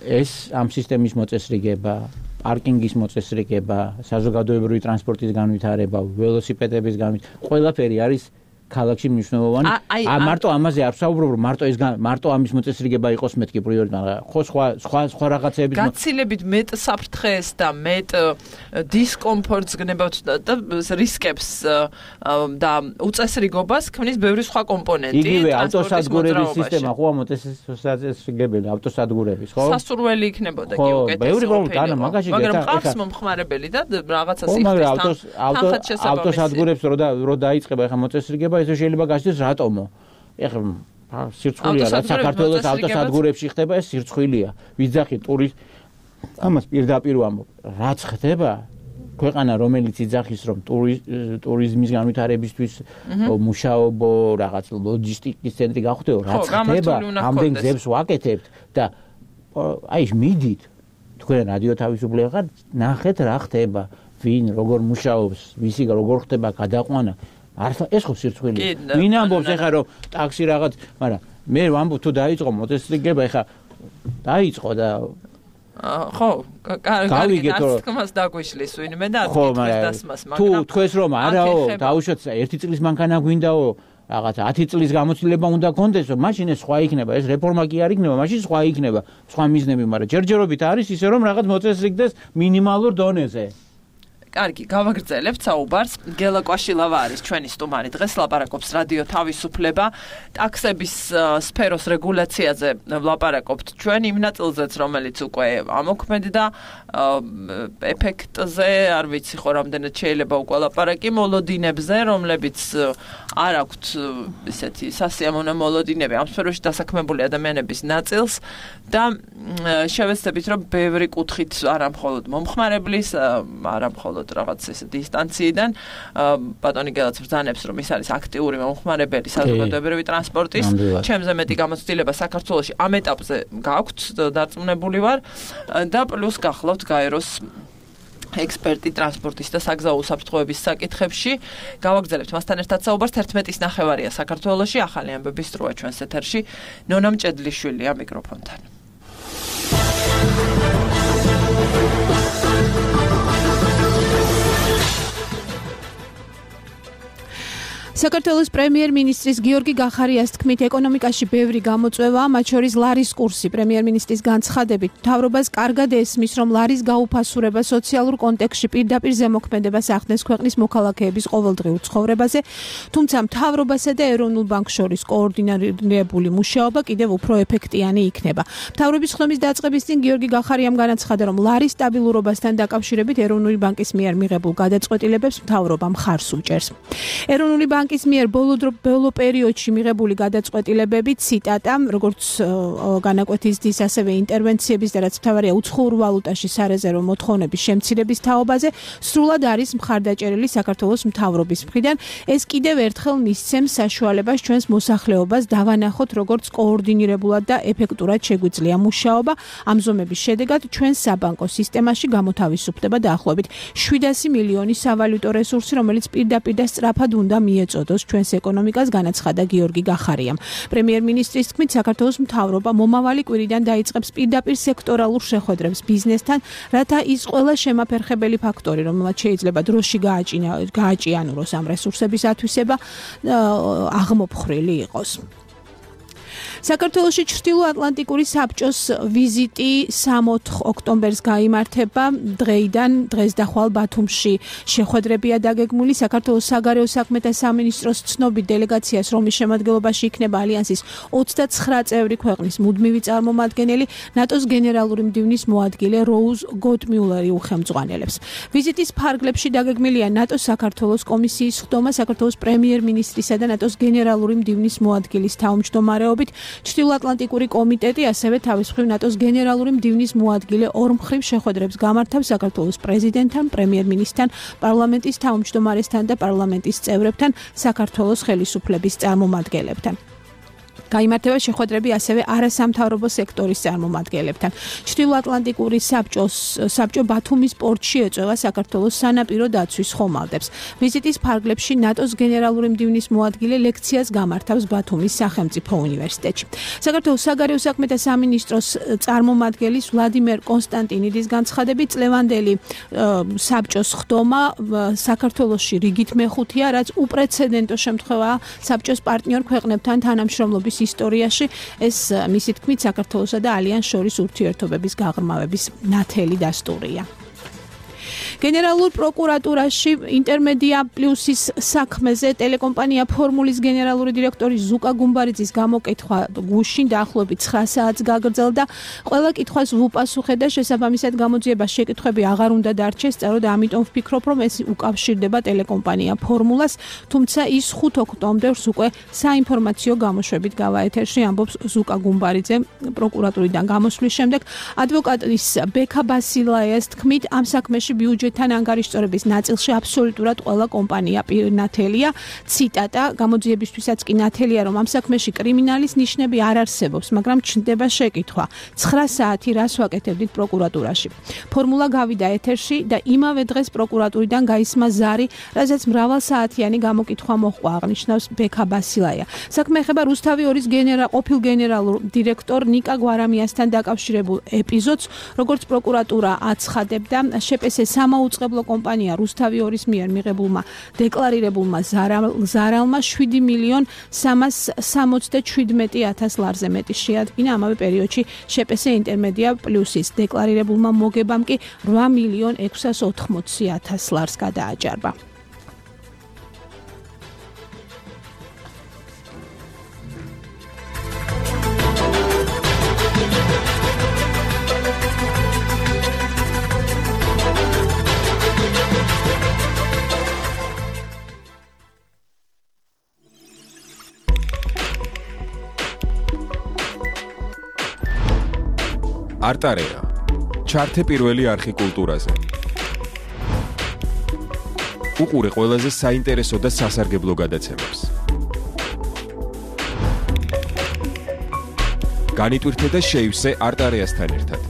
ეს ამ სისტემის მოწესრიგება, პარკინგის მოწესრიგება, საზოგადოებრივი ტრანსპორტის განვითარება, ველოსიპედების განვითარება, ყველაფერი არის ქალაქში მნიშვნელოვანი. ა მარტო ამაზე არ ვსაუბრობ, რომ მარტო ეს მარტო ამის მოწესრიგება იყოს მეთქი პრიორიტეტი, ხო სხვა სხვა სხვა რაღაცების გაცილებით მეტ საფრთხეს და მეტ დისკომფორტს გნებავთ და რისკებს და უწესრიგობას ქმნის ბევრი სხვა კომპონენტი. იგივე ავტოსადგურების სისტემა ხო მოწესრიგებელი ავტოსადგურების, ხო? სასურველი იქნებოდა კი უკეთესი. ბევრი პრობლემა მაგაში გეტა. მაგრამ ყავს მომხმარებელი და რაღაცა სიხდის თან ავტოსადგურებს რო დაიწყება ეხა მოწესრიგება ესე შეიძლება გასცეს რატომო? ეხლა სირცხვილია რა საქართველოს ავტოსადგურებში ხდება, ეს სირცხვილია. ვიძახი ტურისტ ამას პირდაპირ ვამბობ. რაც ხდება ქვეყანა რომელიც იძახის რომ ტურიზმის განვითარებისთვის მუშაობო, რაღაც ლოჯისტიკის ცენტრი გახდეო, რაც ხდება, ამდენ გზებს ვაკეთებთ და აი მიდით თქვენ რადიო თავისუფლება ხართ, ნახეთ რა ხდება, ვინ როგორ მუშაობს, ვისი როგორ ხდება გადაყვანა. არ ეს ხო სირცხვილია. ვინ ამბობს ეხა რომ ტაქსი რაღაც, მაგრამ მე ვამბობ თუ დაიწყო მოწესრიგება, ეხა დაიწყო და ხო, გავიგეთ რომ თქმას დაგვიშლის ვინმე და აკითხეს დასმას, მაგრამ თუ თქვენს რომ არაო, დაუშვათ ერთი წლის მანქანა გვინდაო, რაღაც ათი წლის გამოცდილება უნდა გქონდესო, მაშინ ეს სხვა იქნება, ეს რეფორმა კი არ იქნება, მაშინ სხვა იქნება, სხვა მიზნები, მაგრამ ჯერჯერობით არის ისე რომ რაღაც მოწესრიგდეს მინიმალურ დონეზე. კარგი, გავაგრძელებთ საუბარს. გელა კვაშილავა არის ჩვენი სტუმარი. დღეს ლაპარაკობს რადიო თავისუფლება. ტაქსების სფეროს რეგულაციაზე ვლაპარაკობთ ჩვენ იმ ნაწილზეც, რომელიც უკვე ამოქმედდა ეფექტზე, არ ვიცი ხო რამდენად შეიძლება უკვე ლაპარაკი მოლოდინებზე, რომლებიც არ აქვთ ესეთი სასიამოვნო მოლოდინები ამ სფეროში დასაქმებული ადამიანების ნაწილს და შევეცდებით რომ ბევრი კუთხით არა მხოლოდ მომხმარებლის, არა მხოლოდ რაღაც ესე დისტანციიდან ბატონი გელაც ბრძანებს რომ ის არის აქტიური მომხმარებელი საზოგადოებრივი ტრანსპორტის, ჩემზე მეტი გამოცდილება საქართველოში ამ ეტაპზე გაქვთ, დარწმუნებული ვარ და პლუს გახლავთ გაეროს ექსპერტი ტრანსპორტის და საგზაო უსაფრთხოების საკითხებში. გავაგრძელებთ მასთან ერთად საუბარს. ერთმეტის ნახევარია საქართველოში, ახალი ამბების დროა ჩვენს ეთერში. ნონა მჭედლიშვილია მიკროფონთან. საქართველოს პრემიერ-მინისტრის გიორგი გახარიას თქმით, ეკონომიკაში ბევრი გამოწვევაა, მათ შორის ლარის კურსი. პრემიერ-მინისტრის განცხადებით, მთავრობას კარგად ესმის, რომ ლარის გაუფასურება სოციალურ კონტექსტში პირდაპირ ზემოქმედებას ახდენს ქვეყნის მოქალაქეების ყოველდღიურ ცხოვრებაზე, თუმცა მთავრობასა და ეროვნულ ბანკს შორის კოორდინირებული მუშაობა კიდევ უფრო ეფექტიანი იქნება. მთავრობის ხდომის დაწყების წინ გიორგი გახარიამ განაცხადა, რომ ლარის სტაბილურობასთან დაკავშირებით ეროვნული ბანკის მიერ მიღებულ გადაწყვეტილებებს მთავრობა მხარს უჭერს. ეროვნული ბანკის მიერ ბოლო პერიოდში მიღებული გადაწყვეტილებები, ციტატა, როგორც განაკვეთის დის, ასევე ინტერვენციების და რაც მთავარია უცხოურ ვალუტაში სარეზერვო მოთხოვნების შემცირების თაობაზე, სრულად არის მხარდაჭერილი საქართველოს მთავრობის მხრიდან. ეს კიდევ ერთხელ მისცემს საშუალებას ჩვენს მოსახლეობას დავანახოთ, როგორც კოორდინირებულად და ეფექტურად შეგვიძლია მუშაობა. ამ ზომების შედეგად ჩვენს საბანკო სისტემაში გამოთავისუფლდება დაახლოებით შვიდასი მილიონი სავალუტო რესურსი, რომელიც პირდაპირ და სწრაფად უნდა მიეწოდოს ჩვენს ეკონომიკას, განაცხადა გიორგი გახარიამ. პრემიერ-მინისტრის თქმით, საქართველოს მთავრობა მომავალი კვირიდან დაიწყებს პირდაპირ სექტორალურ შეხვედრებს ბიზნესთან, რათა ის ყველა შემაფერხებელი ფაქტორი, რომელმაც შეიძლება დროში გააჭიანუროს ამ რესურსების ათვისება, აღმოფხრილი იყოს. საქართველოში ჩრდილო-ატლანტიკური საბჭოს ვიზიტი სამოთხ ოქტომბერს გაიმართება. დღეიდან დღეს და ხვალ ბათუმში შეხვედრებია დაგეგმული. საქართველოს საგარეო საქმეთა სამინისტროს ცნობით დელეგაციას, რომლის შემადგენლობაში იქნება ალიანსის ოცდაცხრა წევრი ქვეყნის მუდმივი წარმომადგენელი, ნატოს გენერალური მდივნის მოადგილე როუზ გოტმიულერი უხელმძღვანელებს. ვიზიტის ფარგლებში დაგეგმილია ნატოს საქართველოს კომისიის ხდომა საქართველოს პრემიერ-მინისტრისა და ნატოს გენერალური მდივნის მოადგილის თავმჯდომარეობით. ჩრდილო-ატლანტიკური კომიტეტი ასევე თავის მხრივ ნატოს გენერალური მდივნის მოადგილე ორმხრივ შეხვედრებს გამართავს საქართველოს პრეზიდენტთან, პრემიერ-მინისტრთან, პარლამენტის თავმჯდომარესთან და პარლამენტის წევრებთან, საქართველოს ხელისუფლების წარმომადგენლებთან. გაიმართება შეხვედრები ასევე არასამთავრობო სექტორის წარმომადგენლებთან. ჩრდილო-ატლანტიკური საბჭოს საბჭო ბათუმის პორტში ეწევა საქართველოს სანაპირო დაცვის ხომალდებს. ვიზიტის ფარგლებში ნატოს გენერალური მდივნის მოადგილე ლექციას გამართავს ბათუმის სახელმწიფო უნივერსიტეტში. საქართველოს საგარეო საქმეთა სამინისტროს წარმომადგენლის ვლადიმერ კონსტანტინიდის განცხადებით, წლევანდელი საბჭოს ხდომა საქართველოში რიგით მეხუთეა, რაც უპრეცედენტო შემთხვევაა საბჭოს პარტნიორ ქვეყნებთან თანამშრომლობის ისტორიაში. ეს მისი თქმით საქართველოსა და ალიანს შორის ურთიერთობების გაღრმავების ნათელი დასტურია. გენერალურ პროკურატურაში ინტერმედია პლუსის საქმეზე ტელეკომპანია ფორმულის გენერალური დირექტორი ზუკა გუმბარიძის გამოკითხვა გუშინ დაახლოებით ცხრა საათს გაგრძელდა. ყველა კითხვას ვუპასუხე და შესაბამისად გამოძიებას შეკითხვები აღარ უნდა დარჩეს, სწორედ ამიტომ ვფიქრობ, რომ ეს უკავშირდება ტელეკომპანია ფორმულას, თუმცა ის ხუთ ოქტომბერს უკვე საინფორმაციო გამოშვებით გავა ეთერში, ამბობს ზუკა გუმბარიძე პროკურატურიდან გამოსვლის შემდეგ. ადვოკატის ბექა ბასილაიას თქმით, ამ საქმეში ბიუჯეტთან ანგარიშწორების ნაწილში აბსოლუტურად ყველა კომპანია ნათელია. ციტატა, გამოძიებისთვისაც კი ნათელია, რომ ამ საქმეში კრიმინალის ნიშნები არ არსებობს, მაგრამ ჩნდება შეკითხვა. ცხრა საათი რას ვაკეთებდით პროკურატურაში. ფორმულა გავიდა ეთერში და იმავე დღეს პროკურატურიდან გაისმა ზარი, რასაც მრავალსაათიანი გამოკითხვა მოჰყვა, აღნიშნავს ბექა ბასილაია. საქმე ეხება რუსთავი ორის გენერალ ყოფილ გენერალურ დირექტორ ნიკა გვარამიასთან დაკავშირებულ ეპიზოდს, როგორც პროკურატურა აცხადებდა, შპს სამაუწყებლო კომპანია რუსთავი ორის მიერ მიღებულმა დეკლარირებულმა ზარალმა შვიდი მილიონ სამას სამოცდაშვიდმეტი ათას ლარზე მეტი შეადგინა. ამავე პერიოდში შპს ინტერმედია პლუსის დეკლარირებულმა მოგებამ კი რვა მილიონ ექვსას ოთხმოცი ათას ლარს გადააჭარბა. არტარეა ჩართე პირველი არხი კულტურაზე. უყურე ყველაზე საინტერესო და სასარგებლო გადაცემებს. განიტვირთე და შეივსე არტარეასთან ერთად.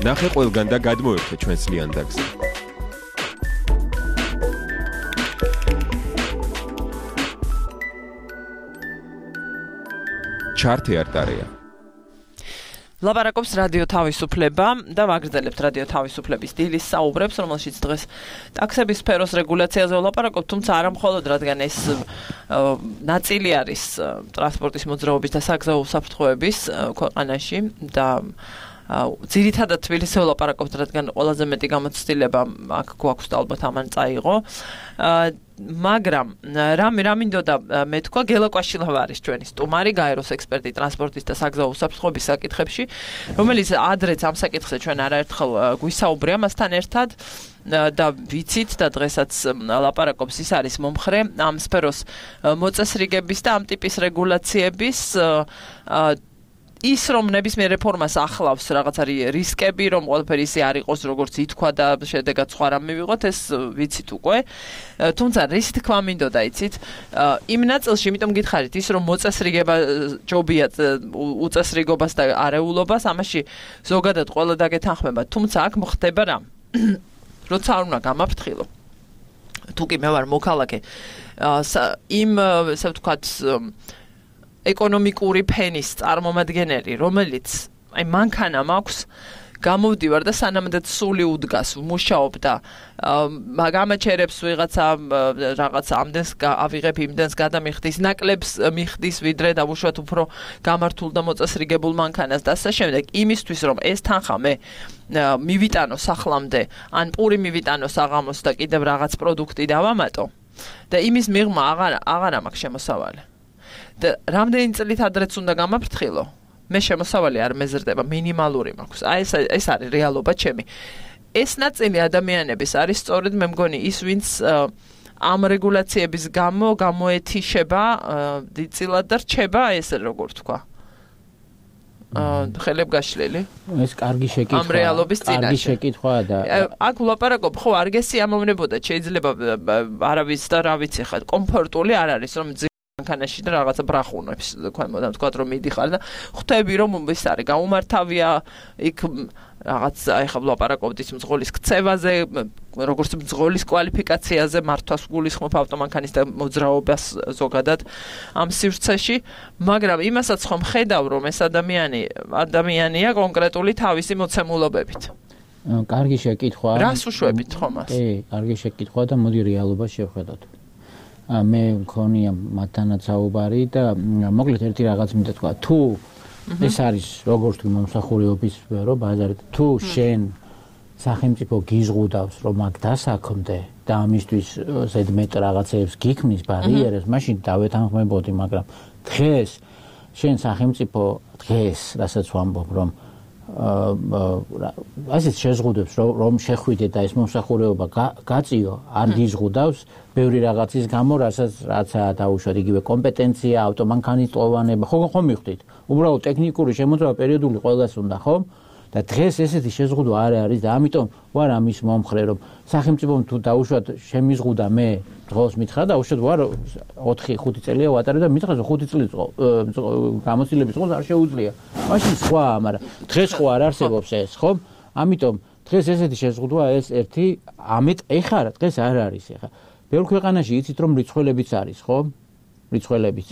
ნახე ყველგან და გადმოერთე ჩვენს ლიანდაგზე. ჩართე არტარეა. ლაპარაკობს რადიო თავისუფლება და ვაგრძელებთ რადიო თავისუფლების დილის საუბრებს, რომელშიც დღეს ტაქსების სფეროს რეგულაციაზე ვლაპარაკობთ, თუმცა არა მხოლოდ, რადგან ეს ნაწილი არის ტრანსპორტის მოძრაობის და საგზაო უსაფრთხოების ქვეყანაში და ძირითადად თბილისზე ვლაპარაკობთ, რადგან ყველაზე მეტი გამოცდილება აქ გვაქვს და ალბათ ამან წაიღო. მაგრამ რამე რამინდოდა მე თქვა გელა კვაშილავა არის ჩვენი სტუმარი, გაეროს ექსპერტი ტრანსპორტის და საგზაო უსაფრთხოების საკითხებში, რომელიც ადრეც ამ საკითხზე ჩვენ არაერთხელ გვისაუბრია მასთან ერთად და ვიცით და დღესაც ლაპარაკობს, ის არის მომხრე ამ სფეროს მოწესრიგების და ამ ტიპის რეგულაციების ის რომ ნებისმიერ რეფორმას ახლავს რაღაც არის რისკები, რომ ყველაფერი ისე არ იყოს, როგორც ითქვა და შედეგად სხვა რამ მივიღოთ, ეს ვიცით უკვე. თუმცა რის თქმა მინდოდა, იცით, იმ ნაწილში, იმიტომ გითხარით, ის რომ მოწესრიგება ჯობია უწესრიგობას და არეულობას, ამაში ზოგადად ყველა დაგეთანხმება, თუმცა აქ მოხდება რა? როცა არ უნდა გამაფრთხილო. თუ კი მე ვარ მოქალაქე, იმ ესე ვთქვათ ეკონომიკური ფენის წარმომადგენელი, რომელიც აი მანქანა მაქვს, გამოვდივარ და სანამდე სული უდგას, ვმუშაობ და გამაჩერებს ვიღაცა რაღაცა ამდენს ავიღებ, იმდენს გადამიხდის, ნაკლებს მიხდის, ვიდრე დავუშვათ უფრო გამართულ და მოწესრიგებულ მანქანას და ასე შემდეგ. იმისთვის რომ ეს თანხა მე მივიტანო სახლამდე, ან პური მივიტანო საღამოს და კიდევ რაღაც პროდუქტი დავამატო და იმის მიღმა აღარ აღარ მაქვს შემოსავალი. და რამდენი წლით ადრეც უნდა გამაფრთხილო? მე შემოსავალი არ მეზრდება, მინიმალური მაქვს. აი ეს ეს არის რეალობა ჩემი. ეს ნაწილი ადამიანების არის სწორედ მე მგონი ის, ვინც ამ რეგულაციების გამო გამოეთიშება დიდწილად და რჩება ესე როგორ თქვა. ხელებ გაშლილი. ეს კარგი შეკითხვა. ამ რეალობის წინაშე. კარგი შეკითხვაა და აქ ვლაპარაკობ, ხო, არ გესიამოვნებოდა, შეიძლება არავის და რა ვიცი ხა, კომფორტული არ არის, რომ მანქანაში და რაღაცა ბრახუნებს, თქვენ თქვა რომ მიდიხარ და ხვდები რომ ის არის გაუმართავია იქ რაღაც აი ხა ვლაპარაკობთ ის მძღოლის ქცევაზე, როგორც მძღოლის კვალიფიკაციაზე, მართვას გულისხმობ ავტომანქანის და მოძრაობას ზოგადად ამ სივრცეში, მაგრამ იმასაც ხომ ხედავ რომ ეს ადამიანი ადამიანია კონკრეტული თავისი მოცემულობებით. კარგი შეკითხვაა. რას უშვებით ხომ მას? კი, კარგი შეკითხვაა და მოდი რეალობას შევხედოთ. მე მქონია მათთანაც საუბარი და მოკლედ ერთი რაღაც მინდა თქვა, თუ ეს არის როგორც თუ მომსახურეობის სფერო, ბაზარი, თუ შენ სახელმწიფო გიზღუდავს, რომ აქ დასაქმდე და ამისთვის ზედმეტ რაღაცებს გიქმნის ბარიერებს, მაშინ დავეთანხმებოდი, მაგრამ დღეს შენ სახელმწიფო დღეს, რასაც ვამბობ, რომ ასეთ შეზღუდებს რომ შეხვიდე და ეს მომსახურეობა გაწიო, არ გიზღუდავს ბევრი რაღაცის გამო, რასაც რაცაა დაუშვათ, იგივე კომპეტენცია, ავტომანქანის ტოვანება, ხო ხომ მივხვდით? უბრალოდ ტექნიკური შემოწმება პერიოდული ყველას უნდა, ხო? და დღეს ესეთი შეზღუდვა არ არის და ამიტომ ვარ ამის მომხრე, რომ სახელმწიფომ თუ დაუშვათ შემიზღუდა მე დღეს მითხრა და უშუალოდ ვარ ოთხი ხუთი წელია ვატარე და მითხრა ხუთი წლის გამოცდილების დღეს არ შეუძლია. მაშინ სხვა, მაგრამ დღეს ხო არ არსებობს ეს, ხო? ამიტომ დღეს ესეთი შეზღუდვა ეს ერთი ამეთ ეხლა დღეს არ არის ეხლა. ბევრ ქვეყანაში იცით რომ რიცხველებიც არის, ხო? რიცხველებიც.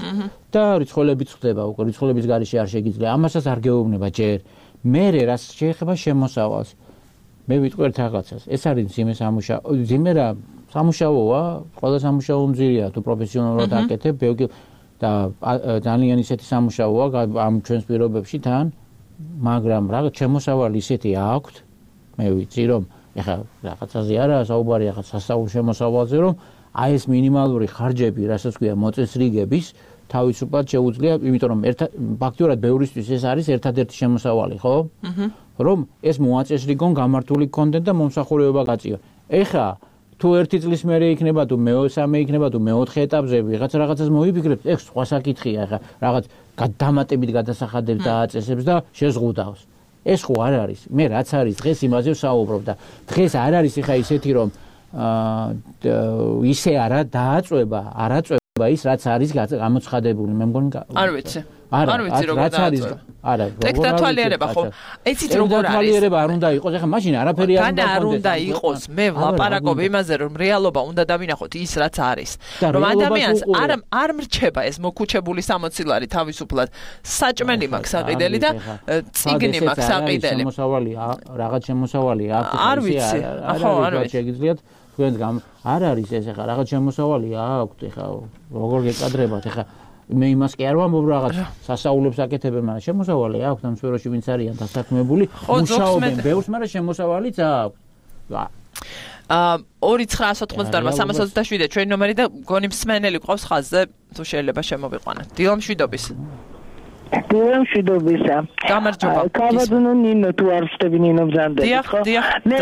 და რიცხველებიც ხდება უკვე, რიცხველების გარეშე არ შეგიძლია. ამასაც არ გეუბნება ჯერ. მერე რაც შეეხება შემოსავალს მე ვიტყვერთ რაღაცას ეს არის ძიმე სამუშაო ძიმე რა სამუშაოა ყველა სამუშაო მძირია თუ პროფესიონალურად აკეთებ და ძალიან ისეთი სამუშაოა ამ ჩვენს პირობებში თან მაგრამ რაღაც შემოსავალი ისეთი აქვთ მე ვიცი რომ ეხლა რაღაცაზე არა საუბარი ახლა სასწავლო შემოსავალზე რომ აი ეს მინიმალური ხარჯები რასაც ქვია მოწესრიგების თავისუფლად შეუძლია იმიტომ რომ ფაქტიურად ბევრისთვის ეს არის ერთადერთი შემოსავალი ხო რომ ეს მოაწესრიგონ გამართული კონტენტ და მომსახურება გაწიო ეხლა თუ ერთი წლის მერე იქნება თუ მესამე იქნება თუ მეოთხე ეტაპზე ვიღაც რაღაცას მოიფიქრებს ეს სხვა საკითხია ეხლა რაღაც დამატებით გადასახადებს დააწესებს და შეზღუდავს ეს ხო არ არის მე რაც არის დღეს იმაზე ვსაუბრობ და დღეს არ არის ეხლა ისეთი რომ ისე არა დააწובה არაწובה ის რაც არის გამოცხადებული მე მგონი არ ვიცი არ ვიცი როგორ დააწובה არა ტექნათვალიერება ხო ეცით როგორ არის ტექნათვალიერება არ უნდა იყოს ეხლა მაშინ არაფერი არ უნდა არ უნდა იყოს მე ვლაპარაკობ იმაზე რომ რეალობა უნდა დავინახოთ ის რაც არის რომ ადამიანს არ არ მრჩება ეს მოკუჩებული სამოცილარი თავისუფლად საჭმელი მაქვს საყიდელი და ციგნი მაქვს საყიდელი შემოსავალი რაღაც შემოსავალი აქვს არ ვიცი ხო არ ვიცი შეგიძლიათ თქვენ გამ არ არის ეს ეხლა რაღაც შემოსავალი აქვს ეხლა როგორ გეკადრებათ ეხლა მე იმას კი არ ვამბობ რაღაც სასაულებს აკეთებენ მაგრამ შემოსავალი აქვს ამ სფეროში ვინც არიან დასაქმებული მუშაობენ ბევრს მაგრამ შემოსავალიც აქვს აა ორი ცხრაასი ოცდაოთხი სამას ოცდაშვიდი ჩვენი ნომერი და გონი მსმენელი ყავს ხაზზე თუ შეიძლება შემოვიყვანოთ დილა მშვიდობის დილა მშვიდობისა გამარჯობა კაბადუნო ნინო თუ არ ვსწრები ნინო ბზანდები ხო მე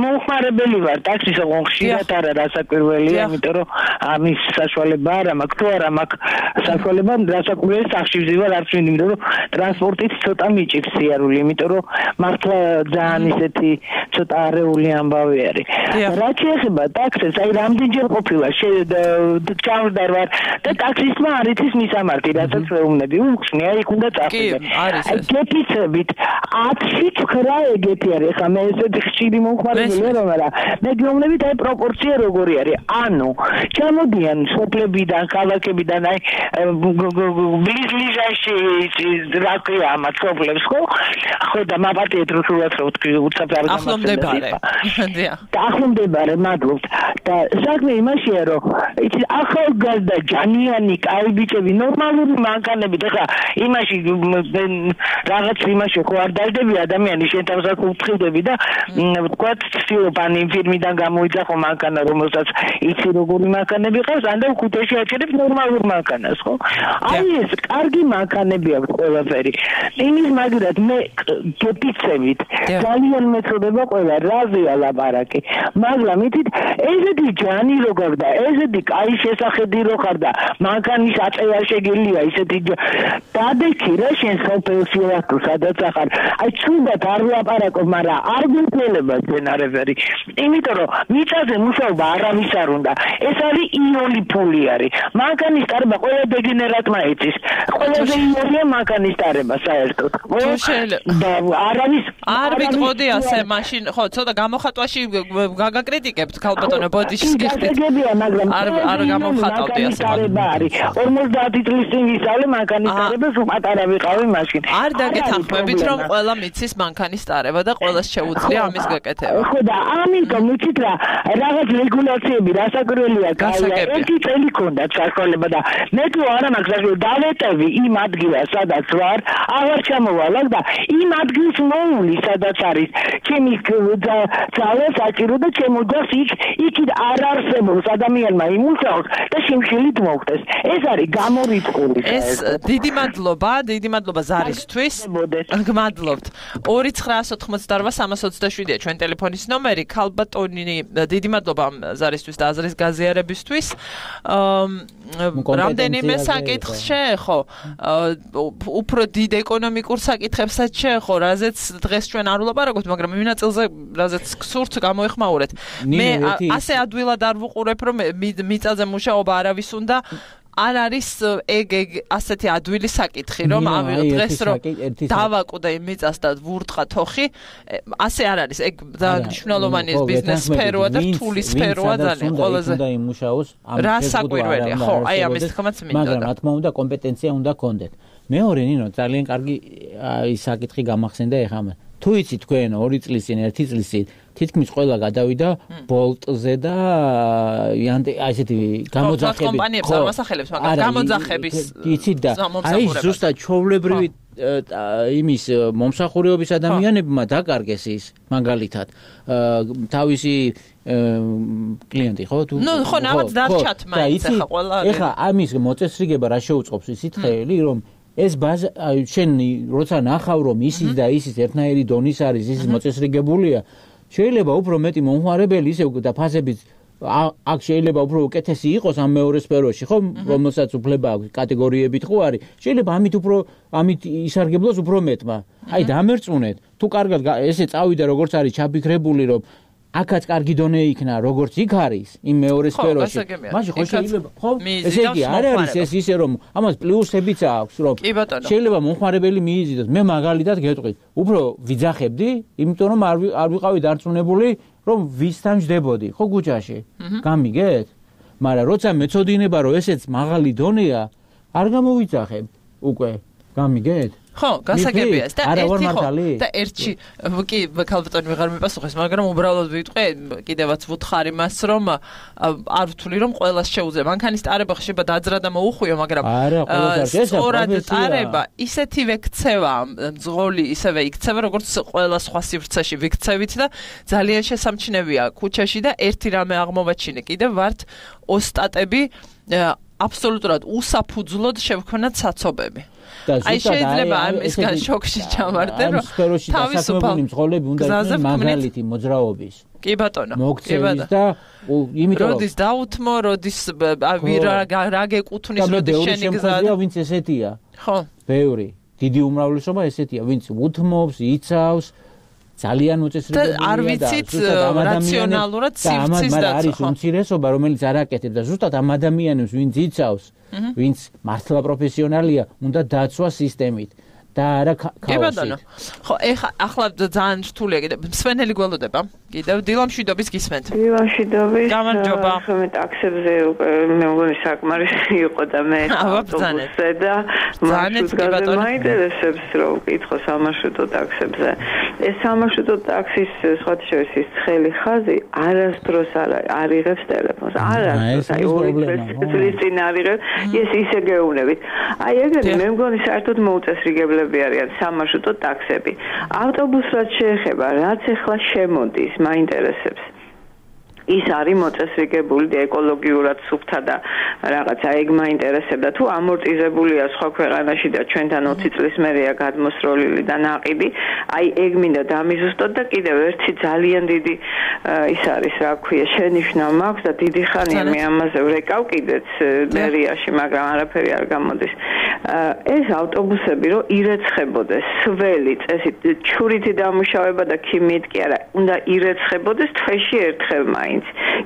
მომხმარებელი ვარ ტაქსის ხშირად არა რასაკვირველია იმიტომ რომ ამის საშუალება არა მაქვს თუ არა მაქვს საშუალება რასაკვირველი სახში ვზივარ არც მინდა იმიტომ რომ ტრანსპორტით ცოტა მიჭირს სიარული იმიტომ რომ მართლა ძალიან ისეთი ცოტა არეული ამბავი არის რა შეიძლება ტაქსის აი რამდენჯერ ყოფილა ჩავდარ ვარ და ტაქსისტმა არ იცის მისამართი რასაც უმნები უხსნია იქ უნდა წახვიდე აი გეფიცებით ათში ცხრა ეგეთი არის ხა მე ესეთი ხშირი მომხმარებელია რომ არა მე გეუბნებით აი პროპორცია როგორი არის ანუ ჩამოდიან სოფლებიდან ქალაქებიდან აი ბლიზ-ბლიზაში რა ქვია ამ სოფლებს ხო ხო და მაპატიეთ რუსულად რო თქვი უცებ არ ახლომდებარე დიახ ახლომდებარე მადლობთ და საქმე იმაშია რომ იცი ახალგაზრდა ჯანიანი კაი ბიჭები ნორმალური მანქანებით ეხლა იმაში რაღაც იმაში ხო არ დაждები ადამიანი შენ თავს აქ უთხილდები და ვთქვათ ცდილობ ან იმ ფირმიდან გამოიძახო მანქანა რომელსაც იცი როგორი მანქანები ყავს ან და ხუთეში აჭერებს ნორმალურ მანქანას ხო აი ეს კარგი მანქანები აქვს ყველაფერი იმის მაგერად მე გეპიცებით ძალიან მეწოდება ყველა რაზეა ლაპარაკი მაგრამ იცით ესეთი ჯანი როგორ და ესეთი კაი შესახედი რო ხარ და მანქანის აწევა შეგელია ისეთი დადექი რა შენ სოფელში ვარ თუ სადაც ახარ აი ცუდად არ ვლაპარაკობ მაგრამ არ გულწრფელება ძენარებერი იმიტომ რომ მიწაზე მუშაობა არავის არ უნდა ეს არის იონი ფული არის მანქანის ტარება ყველა დეგენერატმა იცის ყველაზე იონია მანქანის ტარება საერთოდ და არავის არ ვიტყოდი ასე მაშინ ხო ცოტა გამოხატვაში გაგაკრიტიკებთ ქალბატონო ბოდიშის გიხდით არ არ გამოხატავდი ასე არის ორმოცდაათი წლის წინ ვისწავლე მანქანის ტარება სულ პატარა ვიყავი მაშინ არ დაგეთანხმებით რომ ყველა მიცის მანქანის ტარება და ყველას შეუძლია ამის გაკეთება ხო და ამიტომ ვიცით რა რაღაც რეგულაციები რასაკვირველია გაია ერთი წელი ქონდა საშუალება და მე თუ არა მაქვს საშუალება დავეტევი იმ ადგილას სადაც ვარ აღარ ჩამოვალ და იმ ადგილს მოული სადაც არის ჩემი ძალა საჭირო და ჩემოძას იქ იქით არ არსებობს ადამიანმა იმუშაოს და შიმშილით მოხდეს ეს არის გამორიცხული ეს დიდი მადლობა დიდი მადლობა ზარისთვის გმადლობთ ორი ცხრაასი ოცდაოთხი სამას ოცდაშვიდია ჩვენ ტელეფონის ნომერი ქალბატონი დიდი მადლობა ზარისთვის და აზრის გაზიარებისთვის რამდენიმე საკითხს შეეხო უფრო დიდ ეკონომიკურ საკითხებსაც შეეხო რაზეც დღეს ჩვენ არ ვლაპარაკობთ მაგრამ იმ ნაწილზე რაზეც გსურთ გამოეხმაურეთ მე ასე ადვილად არ ვუყურებ რომ მიწაზე მუშაობა არავის უნდა არ არის ეგ ეგ ასეთი ადვილი საკითხი რომ ავიღოთ დღეს რომ დავაკვდე იმ მიწას და ვურტყა თოხი ასე არ არის ეგ მნიშვნელოვანი ბიზნეს სფეროა და რთული სფეროა ძალიან ყველაზე უნდა იმუშაოს რა საკვირველია ხო აი ამის თქმაც მინდოდა მაგრამ რა თქმა უნდა კომპეტენცია უნდა კონდეთ მეორე ნინო ძალიან კარგი ის საკითხი გამახსენდა ეხლა თუ იცი თქვენ ორი წლის წინ ერთი წლის წინ თითქმის ყველა გადავიდა ბოლტზე და აი ესეთი გამოძახები კომპანიებს არ ვასახელებს მაგრამ გამოძახების იცით და აი ზუსტად ჩვეულებრივი იმის მომსახურეობის ადამიანებმა დაკარგეს ის მაგალითად თავისი კლიენტი ხო თუ ნუ ხო ნამაც დარჩათ მაინც ახლა ყველა ეხლა ამის მოწესრიგება რა შეუწყობს ისიც ხელი რომ ეს ბაზა შენ როცა ნახავ რომ ისიც და ისიც ერთნაირი დონის არის ისიც მოწესრიგებულია შეიძლება უფრო მეტი მომხმარებელი ისე და ფასებიც აქ შეიძლება უფრო უკეთესი იყოს ამ მეორე სფეროში ხო რომელსაც უფლება აქვს კატეგორიებით ხო არის შეიძლება ამით უფრო ამით ისარგებლოს უფრო მეტმა აი დამერწმუნეთ თუ კარგად ესე წავიდა როგორც არის ჩაფიქრებული რომ აქაც კარგი დონე იქნა როგორც იქ არის იმ მეორე სფეროში მაშინ ხო შეიძლება ხო ესე იგი არ არის ეს ისე რომ ამას პლუსებიც აქვს რომ შეიძლება მომხმარებელი მიიზიდოს მე მაგალითად გეტყვით უფრო ვიძახებდი იმიტომ რომ არ არ ვიყავი დარწმუნებული რომ ვისთან ჯდებოდი ხო გუჯაში გამიგეთ მაგრამ როცა მეწოდინება რომ ესეც მაღალი დონეა არ გამოვიძახებ უკვე გამიგეთ ხო, გასაგებია და ერთი ხო და ერთი კი ქალბატონი ვეღარ მიპასუხეს, მაგრამ უბრალოდ ვიტყვე, კიდევაც ვუთხარ იმას, რომ არ ვთვლი რომ ყველას შეუძლია. მანქანის ტარება ხშირად დაძრა და მოუხვიო, მაგრამ სწორად ტარება ისეთივე ქცევა, მძღოლი ისევე იქცევა, როგორც ყველა სხვა სივრცეში ვიქცევით და ძალიან შესამჩნევია ქუჩაში და ერთი რამე აღმოვაჩინე, კიდევ ვართ ოსტატები აბსოლუტურად უსაფუძვლოდ შევქმნათ საცობები. აი შეიძლება ამისგან შოქში ჩამარდე რომ თავისუფალი მძღოლები უნდა იყოს მაგალითი მოძრაობის კი ბატონო მოქცევის და იმიტომ რომ როდის დაუთმო როდის რა გეკუთვნის როდის შენი გზა ვინც ესეთია ხო ბევრი დიდი უმრავლესობა ესეთია ვინც უთმობს იცავს ძალიან მოწესრიგებულია და არ ვიცით რაციონალურად სივრცის და არის უმცირესობა რომელიც არ აკეთებს და ზუსტად ამ ადამიანებს ვინც იცავს ვინც მართლა პროფესიონალია უნდა დაცვა სისტემით და არა ქაოსით. ხო, ეხლა ახლა ძალიან რთულია კიდე მსვენელი გველოდება. კიდევ დილამშვიდობის გისმენთ. დილამშვიდობის. გამარჯობა. მე ტაქსებზე მე მგონი საკმარისი იყო და მე ავაბძანე და მარშრუტზე მაინტერესებს რომ ვკითხო სამარშრუტო ტაქსებზე. ეს სამარშრუტო ტაქსის სხვათა შორის ის ცხელი ხაზი არასდროს არ არიღებს ტელეფონს. არასდროს აი ორი წლის წინ არიღებს. ეს ისე გეუბნებით. აი ეგრე მე მგონი საერთოდ მოუწესრიგებელი არიან სამარშრუტო ტაქსები. ავტობუსს შეეხება, რაც ახლა შემოდის, მაინტერესებს. ის არის მოწესრიგებული ეკოლოგიურად სუფთა და რაღაცა ეგ მაინტერესებდა თუ ამორტიზებულია სხვა ქვეყანაში და ჩვენთან ოცი წლის მერეა გადმოსროლილი და ნაყიდი აი ეგ მინდა დამიზუსტოთ და კიდევ ერთი ძალიან დიდი ის არის რა ქვია შენიშვნა მაქვს და დიდი ხანია მე ამაზე ვრეკავ კიდეც მერიაში მაგრამ არაფერი არ გამოდის ეს ავტობუსები რომ ირეცხებოდეს სველი წესით ჩურითი დამუშავება და ქიმიით კი არა უნდა ირეცხებოდეს თვეში ერთხელ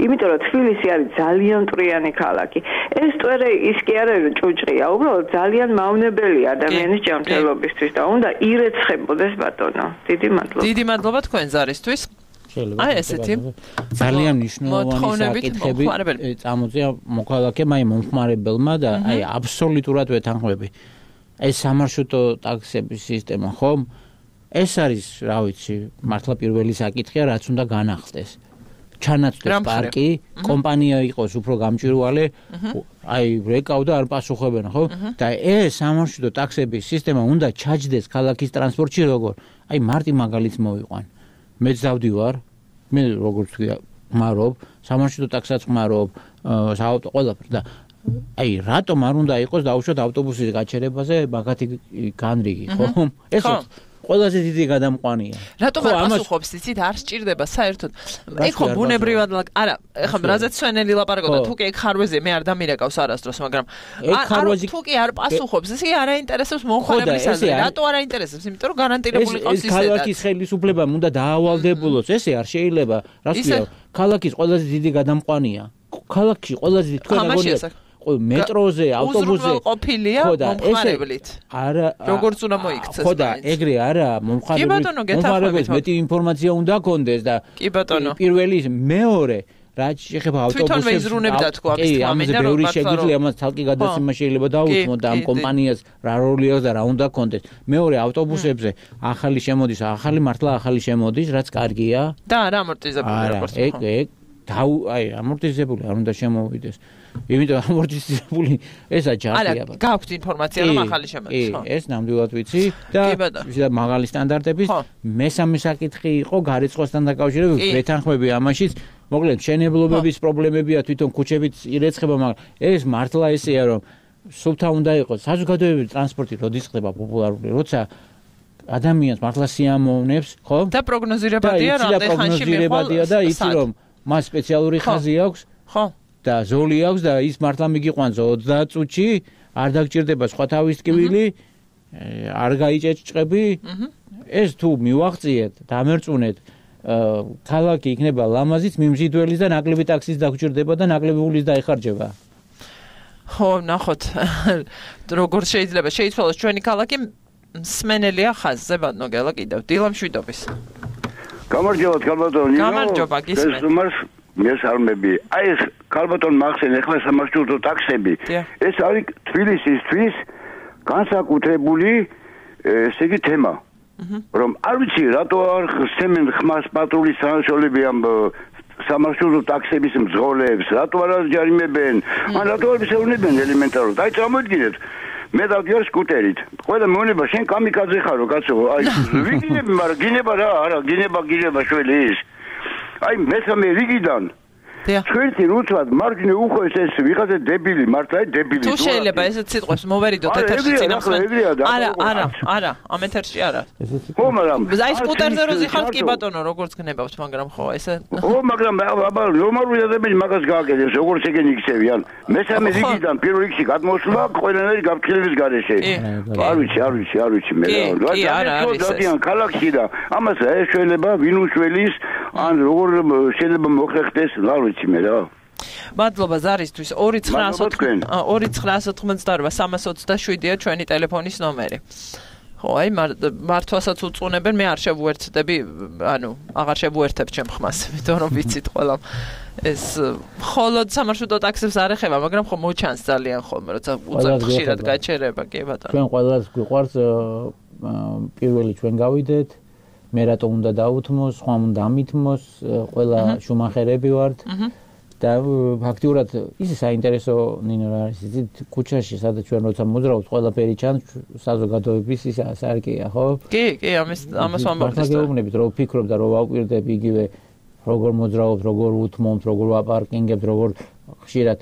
იმიტომ რომ თბილისი არის ძალიან მტრიანი ქალაქი. ეს ტვერე ის კი არ არის ჭუჭყია, უბრალოდ ძალიან მავნებელია ადამიანის ჯანმრთელობისთვის და უნდა ირეცხებოდეს ბატონო. დიდი მადლობა. დიდი მადლობა თქვენ ზარისთვის. აი ესეთი ძალიან მნიშვნელოვანი საკითხები წამოწია მოქალაქემ აი მომხმარებელმა და აი აბსოლუტურად ვეთანხმები. ეს სამარშრუტო ტაქსების სისტემა ხომ ეს არის რა ვიცი მართლა პირველი საკითხია რაც უნდა განახსდეს. ჩანაცვლეს პარკი, კომპანია იყოს უფრო გამჭვირვალე, აი რეკავ და არ პასუხებენ, ხო? და ეს სამარშრუტო ტაქსების სისტემა უნდა ჩაჯდეს ქალაქის ტრანსპორტში როგორ? აი მარტი მაგალითს მოვიყვან. მეც დავდივარ, მე როგორც ვთქვი, ხმარობ, სამარშრუტო ტაქსსაც ხმარობ, საავტო ყველაფერს და აი რატომ არ უნდა იყოს დაუშვათ ავტობუსის გაჩერებაზე მაგათი განრიგი, ხო? ეს ყველაზე დიდი გადამყვანია. რატომ არ პასუხობს იცით არ სჭირდება საერთოდ. ეგ ხო ბუნებრივად არა, ეხლა რაზეც სვენელი ლაპარაკობდა, თუ კი ეგ ხარვეზია მე არ დამირეკავს არასდროს, მაგრამ არ თუ კი არ პასუხობს, ესე არაინტერესებს მომხმარებლის აზრი. რატო არაინტერესებს? იმიტომ რომ გარანტირებული ყავს ისედაც. ეს ქალაქის ხელისუფლებამ უნდა დაავალდებულოს, ესე არ შეიძლება. რა ვთქვია, ქალაქის ყველაზე დიდი გადამყვანია. ქალაქში ყველაზე დიდი თქვენ აგონიათ მეტროზე, ავტობუსზე ყოფილია მომხმარებლით. არა, როგორც უნდა მოიქცეს. ხო და ეგრე არა, მომხმარებელს მეტი ინფორმაცია უნდა გქონდეს და კი ბატონო. პირველი, მეორე, რაც შეხება ავტობუსებს თვითონ ვეიზრუნებდა თქვა ამის თქმა მინდა რომ ბევრი შეგიძლია ამას თალკი გადაცემა შეიძლება დაუთმოთ და ამ კომპანიას რა როლი აქვს და რა უნდა კონდეს მეორე ავტობუსებზე ახალი შემოდის ახალი მართლა ახალი შემოდის რაც კარგია და რა ამორტიზებული როგორც ეგ ეგ და აი ამორტიზებული არ უნდა შემოვიდეს იმიტომ ამორტიზებული ესა ჯარია არა გაქვთ ინფორმაცია რომ ახალი შემოდის ხო ეს ნამდვილად ვიცი და ვიზა მაღალი სტანდარტების მესამე საკითხი იყო გარიცხვასთან დაკავშირებით ვეთანხმები ამაშიც მოკლედ შენებლობების პრობლემებია თვითონ ქუჩებით ირეცხება მაგრამ ეს მართლა ესეა რომ სულთა უნდა იყოს საზოგადოებრივი ტრანსპორტი როდის ხდება პოპულარული როცა ადამიანს მართლა სიამოვნებს ხო და პროგნოზირებადია რამდენ ხანში მიღება და იცი რომ მას სპეციალური ხაზი აქვს ხო და ზოლი აქვს და ის მართლა მიგიყვანს ოცდაათ წუთში არ დაგჭირდება სხვა თავის ტკივილი არ გაიჭეჭჭები ეს თუ მივაღწიეთ დამერწუნეთ ქალაქი იქნება ლამაზიც მიმზიდველის და ნაკლები ტაქსის დაგჭირდება და ნაკლები ულის დაიხარჯება ხო ნახოთ როგორ შეიძლება შეიცვალოს ჩვენი ქალაქი მსმენელია ხაზზე ბატონო კიდევ დილა მშვიდობის გამარჯობა ქალბატონო გამარჯობა გისმენთ მესარმები აი ეს ქალბატონ მახსენ ახლა სამარშრუტო ტაქსები ეს არის თბილისისთვის განსაკუთრებული ესე იგი თემა რომ არ ვიცი რატო არ ხსემენ ხმას პატრულის სანაცვლები ამ სამარშრუტო ტაქსების მძღოლებს რატო არ აჯარიმებენ ან რატო არ ისევნებენ ელემენტარულად აი წარმოიდგინეთ მე დავდიარ სკუტერით ყველა მეუბნება შენ კამიკაძე ხარო კაცო აი ვიგინები მაგრამ გინება რა არა გინება გინება შველი ის აი მესამე რიგიდან ჩვენი რუცად მარჯვნე უხოს ეს ვიღაცა დებილი მართლა დებილი თუ შეიძლება ესეც სიტყვებს მოვერიდოთ ეთერში წინახმად არა არა არა ამ ეთერში არა ხო მაგრამ აი სკუტერზე რო ზიხართ კი ბატონო როგორც გნებავთ მაგრამ ხო ესე ხო მაგრამ აბა ნორმალური ადამიანი მაგას გააკეთებს როგორც ეგენი იქცევიან მესამე რიგიდან პირველ რიგში გადმოსვლა ყველანაირი გაფრთხილების გარეშე არ ვიცი არ ვიცი არ ვიცი მე რა რა ქალაქში და ამას ეშველება ვინ უშველის ან როგორ შეიძლება მოხერხდეს რა ვიცი მე რა მადლობა ზარისთვის ორი ცხრაასოთხმოცდაოთხ სამას ოცდაშვიდია ჩვენი ტელეფონის ნომერი ხო აი მართვასაც უწუნებენ მე არ შევუერთდები ანუ აღარ შევუერთებ ჩემ ხმას იმიტომ რომ ვიცით ყველა ეს ხოლოდ სამარშრუტო ტაქსებს არ ეხება მაგრამ ხო მოჩანს ძალიან ხოლმე როცა უწევთ ხშირად გაჩერება კი ბატონო ჩვენ ყველას გვიყვარს პირველი ჩვენ გავიდეთ მე რატო უნდა დაუთმოს, სხვამ უნდა ამითმოს, ყველა შუმახერები ვართ და ფაქტიურად ის საინტერესო ნინო რა არის იცით ქუჩაში სადაც ჩვენ როცა მოძრაობთ ყველაფერი ჩანს საზოგადოების ის სარკეა ხო? კი, კი, ამის ამას ვამბობთ ეს. გეუბნებით რომ ვფიქრობ და რომ ვაუკვირდები იგივე როგორ მოძრაობთ, როგორ უთმობთ, როგორ ვაპარკინგებთ, როგორ ხშირად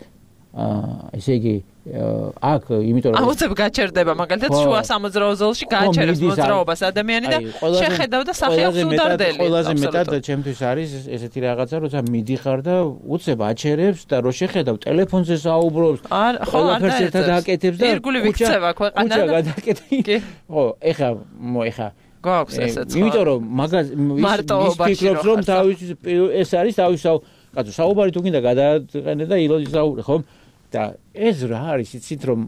აა ესე იგი აქ იმიტომ რომ აუცებ გაჩერდება მაგალითად შუა სამოძრაო ზოლში გააჩერებს მოძრაობას ადამიანი და შეხედავ და სახეობს უდარდელი ყველაზე მეტად ჩემთვის არის ესეთი რაღაცა როცა მიდიხარ და უცებ აჩერებს და რო შეხედავ ტელეფონზე საუბრობს ყველაფერს ერთად აკეთებს და ირგული ვიქცევა ქვეყანა და გადაკეთე ხო ეხა მოეხა გვაქვს ესეც ხო იმიტომ რომ მაგას ის ფიქრობს რომ თავის ეს არის თავის კაცო საუბარი თუ გინდა გადააყენე და ილოდი საუბრი ხო და ეს რა არის იცით რომ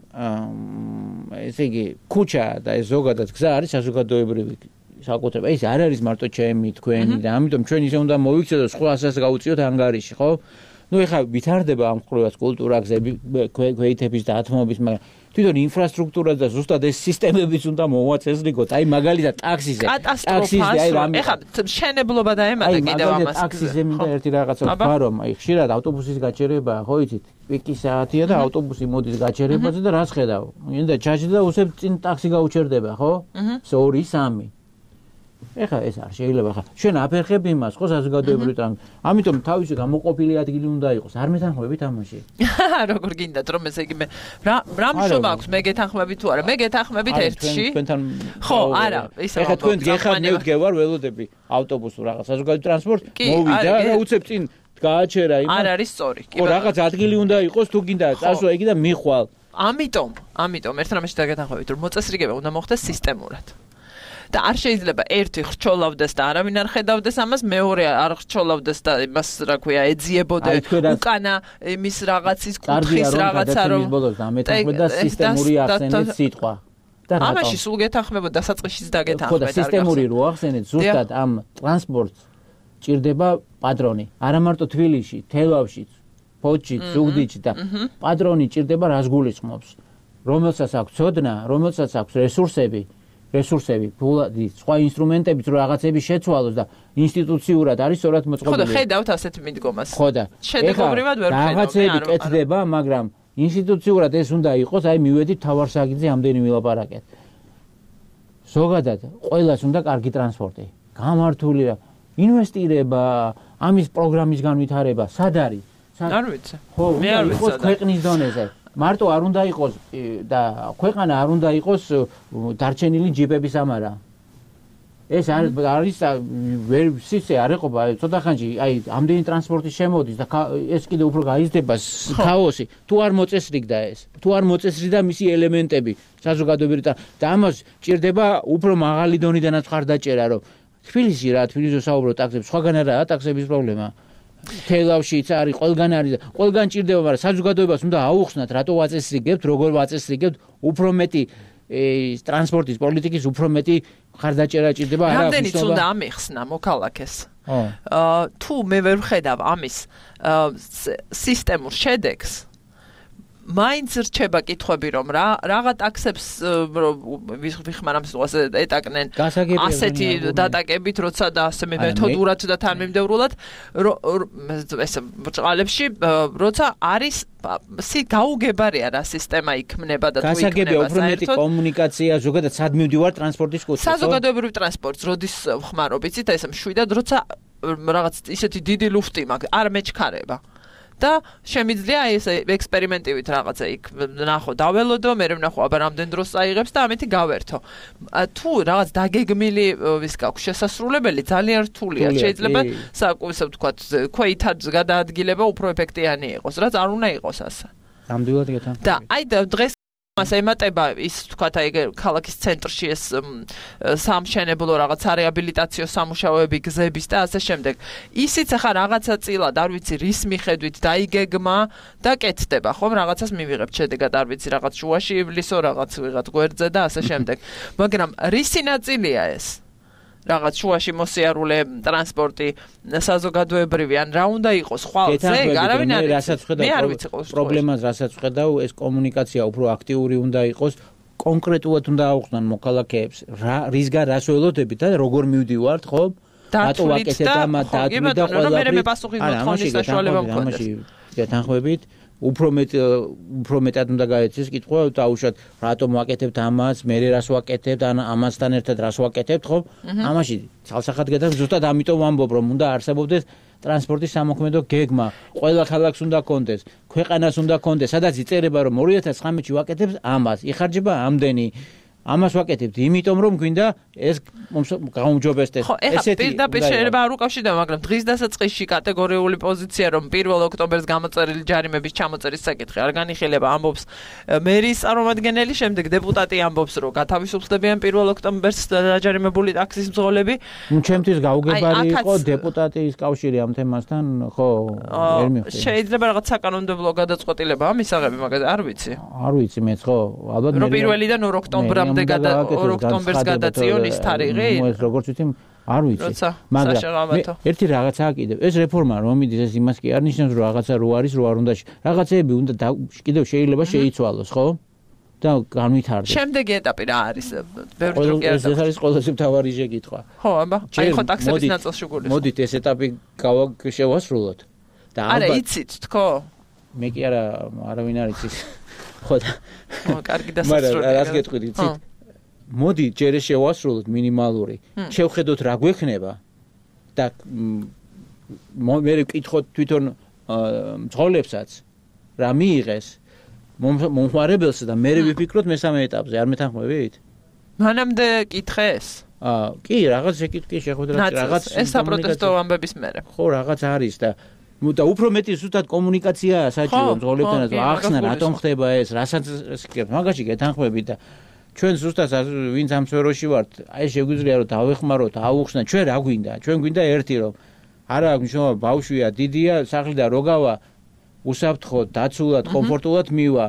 ესე იგი ქუჩა და ეს ზოგადად გზა არის საზოგადოებრივი საკუთრება ეს არ არის მარტო ჩემი თქვენი და ამიტომ ჩვენ ისე უნდა მოვიქცეთ და სხვა ასას გაუწიოთ ანგარიში ხო ნუ ეხლა ვითარდება ამ ყურებას კულტურა გზები ქვეითების და ათმობის მაგრამ თვითონ ინფრასტრუქტურა და ზუსტად ეს სისტემებიც უნდა მოვაწესრიგოთ აი მაგალითად ტაქსიზე ტაქსიზე აი რამე ეხლა შენებლობა დაემატა კიდევ ამას ტაქსიზე მინდა ერთი რაღაცა ვთქვა რომ აი ხშირად ავტობუსის გაჩერება ხო იცით პიკი საათია და ავტობუსი მოდის გაჩერებაზე და რას ხედავ მინდა ჩაჭდა უსებ წინ ტაქსი გაუჩერდება ხო ორი სამი ეხლა ეს არ შეიძლება ხა შენ აფერხებ იმას ხო საზოგადოებრივ ტრანსპორტს ამიტომ თავისი გამოყოფილი ადგილი უნდა იყოს არ მეთანხმებით ამაში როგორ გინდათ რომ ესე იგი მე რა რა მშობა აქვს მე გეთანხმებით თუ არა მე გეთანხმებით ერთში ხო არა ისე ეხლა თქვენ გეხავთ მე ვდგევარ ველოდები ავტობუსს რაღაც საზოგადოებრივ ტრანსპორტს მოვიდა რა უცებ წინ გააჩერა იმას არ არის სწორი კი ხო რაღაც ადგილი უნდა იყოს თუ გინდა წასვლა იგი და მიხვალ ამიტომ ამიტომ ერთ რამეში დაგეთანხმებით რომ მოწესრიგება უნდა მოხდეს სისტემურად და არ შეიძლება ერთი ხრჩოლავდეს და არავინ არ ხედავდეს ამას მეორე არ ხრჩოლავდეს და იმას რა ქვია ეძიებოდე უკანა იმის რაღაცის კუთხის რაღაცა რომ ამეთანხმება და სისტემური ახსენეთ სიტყვა და რატომ ამაში სულ გეთანხმებოდა დასაწყისშიც დაგეთანხმეთ ხო და სისტემური რო ახსენეთ ზუსტად ამ ტრანსპორტს ჭირდება პატრონი. არა მარტო თბილისში, თელავშიც, ფოთშიც, ზუგდიდში და პატრონი ჭირდება რას გულისხმობს. რომელსაც აქვს ცოდნა, რომელსაც აქვს რესურსები, რესურსები, ფულადი, სხვა ინსტრუმენტები, რომ რაღაცები შეცვალოს და ინსტიტუციურად არის სწორად მოწყობილი. ხო და ხედავთ ასეთ მიდგომას. ხო და შედეგობრივად ვერ ხედავ. რაღაცები კეთდება, მაგრამ ინსტიტუციურად ეს უნდა იყოს, აი მივედით თავარსაგიძე ამდენი ვილაპარაკეთ. ზოგადად ყველას უნდა კარგი ტრანსპორტი, გამართული ინვესტირება, ამის პროგრამის განვითარება, სად არის? არ ვიცი. ხო, მე არ ვიცი. ქვეყნის დონეზე. მარტო არ უნდა იყოს და ქვეყანა არ უნდა იყოს დარჩენილი ჯიპების ამარა. ეს არის ვერ სიცე არ ეყობა, ცოტა ხანში, აი, ამდენი ტრანსპორტი შემოდის და ეს კიდე უფრო გაიზრდება ქაოსი. თუ არ მოწესრიგდა ეს, თუ არ მოწესრიგდა მისი ელემენტები, საზოგადოებრივი და ამას ჭირდება უფრო მაღალი დონიდანაც ხარდაჭერა, რომ თბილისში რა, თბილისში საუბრობ ტაქსებს, სხვაგან არაა ტაქსების პრობლემა. თელავშიც არის, ყველგან არის და ყველგან ჭირდება, მაგრამ საზოგადოებას უნდა აუხსნათ, რატო ვაწესრიგებთ, როგორ ვაწესრიგებთ, უფრო მეტი ტრანსპორტის პოლიტიკის უფრო მეტი ხარდაჭერა ჭირდება. არა, რამდენიც უნდა ამიხსნა მოქალაქეს. აა თუ მე ვერ ვხედავ ამის სისტემურ შედეგს, მაინც რჩება კითხვები, რომ რა რაღა ტაქსებს ვიხმარ ამ სიტუაციას ეტაკნენ ასეთი დატაკებით, როცა და ასე მეთოდურად და თანმიმდევრულად ეს ბრჭყალებში, როცა არის გაუგებარია რა სისტემა იქმნება და თუ იქმნება. გასაგებია უფრო მეტი კომუნიკაცია, ზოგადად სად მივდივარ ტრანსპორტის კუთხე. საზოგადოებრივ ტრანსპორტს როდის ვხმარობ, იცით, ეს მშვიდად, როცა რაღაც ისეთი დიდი ლუფტი მაქვს, არ მეჩქარება. და შემიძლია ეს ექსპერიმენტივით რაღაცა იქ ნახო დაველოდო, მე ვნახო აბა რამდენ დროს წაიღებს და ამეთი გავერთო. თუ რაღაც დაგეგმილი ვის გაქვს შესასრულებელი ძალიან რთულია. შეიძლება საკუთრ ვთქვათ, ქვეითად გადაადგილება უფრო ეფექტიანი იყოს, რაც არ უნდა იყოს ასე. ნამდვილად გეთანხმები. და აი დღეს მას ემატება ის ვთქვათ აი ქალაქის ცენტრში ეს სამშენებლო რაღაც რეაბილიტაციო სამუშაოები, გზების და ასე შემდეგ. ისიც ახლა რაღაცა წილად არ ვიცი რის მიხედვით დაიგეგმა და კეთდება, ხომ რაღაცას მივიღებთ შედეგად არ ვიცი რაღაც შუაში ივლისო რაღაც ვიღაც გვერდზე და ასე შემდეგ. მაგრამ რისი ნაწილია ეს? რაღაც შუაში მოსიარულე ტრანსპორტი საზოგადოებრივი ან რა უნდა იყოს ხვალზე არავინ არ მე არ ვიცი პრობლემას რასაც ვხედავ ეს კომუნიკაცია უფრო აქტიური უნდა იყოს კონკრეტულად უნდა აუხსნან მოქალაქეებს რა რისგან რას ველოდებით და როგორ მივდივართ ხო რატო ვაკეთებ ამ დათვლით და ყველაფერი მე პასუხის მოთხოვნის საშუალება მქონდეს გეთანხმებით უფრო მეტ უფრო მეტად უნდა გაეცეს კითხვა დაუშვათ რატომ ვაკეთებთ ამას მე რას ვაკეთებთ ან ამასთან ერთად რას ვაკეთებთ ხო ამაში ცალსახად გადაგ ზუსტად ამიტომ ვამბობ რომ უნდა არსებობდეს ტრანსპორტის სამოქმედო გეგმა ყველა ქალაქს უნდა კონდეს ქვეყანას უნდა კონდეს სადაც იწერება რომ ორი ათას ცხრამეტში ვაკეთებთ ამას იხარჯება ამდენი ამას ვაკეთებთ იმიტომ რომ გვინდა ეს გაუმჯობესდეს ესეთი პირდაპირ შეიძლება არ უკავშირდება მაგრამ დღის დასაწყისში კატეგორიული პოზიცია რომ პირველ ოქტომბერს გამოწერილი ჯარიმების ჩამოწერის საკითხი არ განიხილება ამბობს მერის წარმომადგენელი შემდეგ დეპუტატი ამბობს რომ გათავისუფლდებიან პირველ ოქტომბერს დაჯარიმებული ტაქსის მძღოლები ჩემთვის გაუგებარი იყო დეპუტატის კავშირი ამ თემასთან ხო ვერ მივხვდი შეიძლება რაღაც საკანონმდებლო გადაწყვეტილება ამისაღები მაგაზე არ ვიცი არ ვიცი მეც ხო ალბათ მე პირველიდან ორ ოქტომბრამდე ოქტომბერს გადაწიონის თარიღი ეს როგორც ვიცი არ ვიცი მაგრამ ერთი რაღაცაა კიდევ ეს რეფორმა რომ მიდის ეს იმას კი არ ნიშნავს რომ რაღაცა რო არის რო არ უნდა რაღაცეები უნდა კიდევ შეიძლება შეიცვალოს ხო და განვითარდეს შემდეგი ეტაპი რა არის ბევრი დრო კი არ ეს არის ყველაზე მთავარი შეკითხვა ხო აბა აი ხო ტაქსების ნაწილში გულისხმობ მოდით ეს ეტაპი გავშევასრულოთ და არა იცით თქო მე კი არა არავინ არ იცის ხო და კარგი დასასრულია მაგრამ რას გეტყვით იცით მოდი ჯერ შევასრულოთ მინიმალური შევხედოთ რა გვექნება და მე ვკითხოთ თვითონ მძღოლებსაც რა მიიღეს მომხმარებელს და მე ვიფიქროთ მესამე ეტაპზე არ მეთანხმებით მანამდე კითხეს აა კი რაღაც შეკითხი შეხვედრა რაღაც ეს საპროტესტო ამბების მერე ხო რაღაც არის და და უფრო მეტი ზუსტად კომუნიკაციაა საჭირო მძღოლებთანაც ახსნა რატომ ხდება ეს რასაც მაგაში გეთანხმებით და ჩვენ ზუსტად ვინც ამ სფეროში ვართ აი შეგვიძლია რომ დავეხმაროთ აუხსნა ჩვენ რა გვინდა ჩვენ გვინდა ერთი რომ არა აქვს მნიშვნელობა ბავშვია დიდია სახლიდან რო გავა უსაფრთხოდ დაცულად კომფორტულად მივა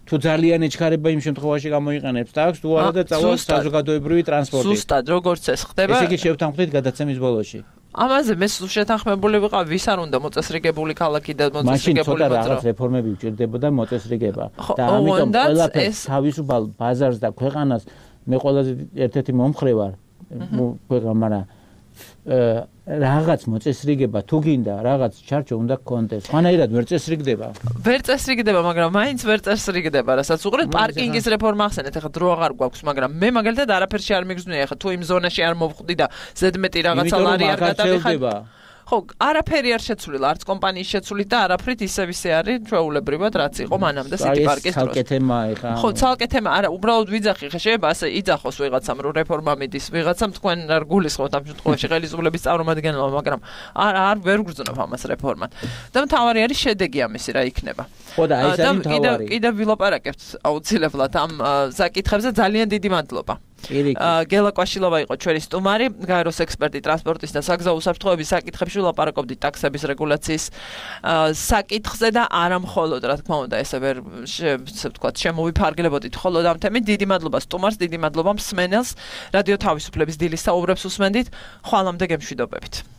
თუ ძალიან ეჩქარება იმ შემთხვევაში გამოიყენებს ტაქსს თუ არა და წავალ საზოგადოებრივი ტრანსპორტი ზუსტად როგორც ეს ხდება ესე იგი შევთანხმდით გადაცემის ბოლოში ამაზე მე შეთანხმებული ვიყავ, ვის არ უნდა მოწესრიგებული ქალაქი და მოწესრიგებული მაშინ ცოტა რაღაც რეფორმები უჭირდებოდა მოწესრიგება და ამიტომ ყველაფერს თავისუფალ ბაზარს და ქვეყანას მე ყველაზე ერთ-ერთი მომხრე ვარ ქვეყანა რაღაც მოწესრიგება თუ გინდა რაღაც ჩარჩო უნდა გქონდეს. ხანაირად ვერ წესრიგდება. ვერ წესრიგდება, მაგრამ მაინც ვერ წესრიგდება, რასაც უყურეთ პარკინგის რეფორმა ახსენეთ, ეხლა დრო აღარ გვაქვს, მაგრამ მე მაგალითად არაფერში არ მიგზნია, ეხლა თუ იმ ზონაში არ მოვხვდი და ზედმეტი რაღაცა ლარი არ გადავიხადე. ხო, არაფერი არ შეცვლილა, არც კომპანიის შეცვლით და არაფრით ისევ ისე არის ჩვეულებრივად, რაც იყო მანამდე სიტი პარკის დროს. ცალკე თემა ეხა. ხო, ცალკე თემა, არა, უბრალოდ ვიძახი, ხა შეიძლება ასე იძახოს ვიღაცამ, რომ რეფორმა მიდის, ვიღაცამ თქვენ არ გულისხმობთ ამ შემთხვევაში ხელისუფლების წარმომადგენელმა, მაგრამ არ არ ვერ გრძნობ ამას რეფორმად. და მთავარი არის შედეგი ამისი რა იქნება. ხო და აი ეს არის მთავარი. კიდევ ვილაპარაკებთ აუცილებლად ამ საკითხებზე, ძალიან დიდი მადლობა. გელა კვაშილოვა იყო ჩვენი სტუმარი, გაეროს ექსპერტი ტრანსპორტის და საგზაო უსაფრთხოების საკითხებში ვილაპარაკობდით ტაქსების რეგულაციის საკითხზე და არა მხოლოდ, რა თქმა უნდა, ესე ვერ ესე ვთქვათ, შემოვიფარგლებოდით მხოლოდ ამ თემით. დიდი მადლობა სტუმარს, დიდი მადლობა მსმენელს. რადიო თავისუფლების დილის საუბრებს უსმენდით. ხვალამდე გემშვიდობებით.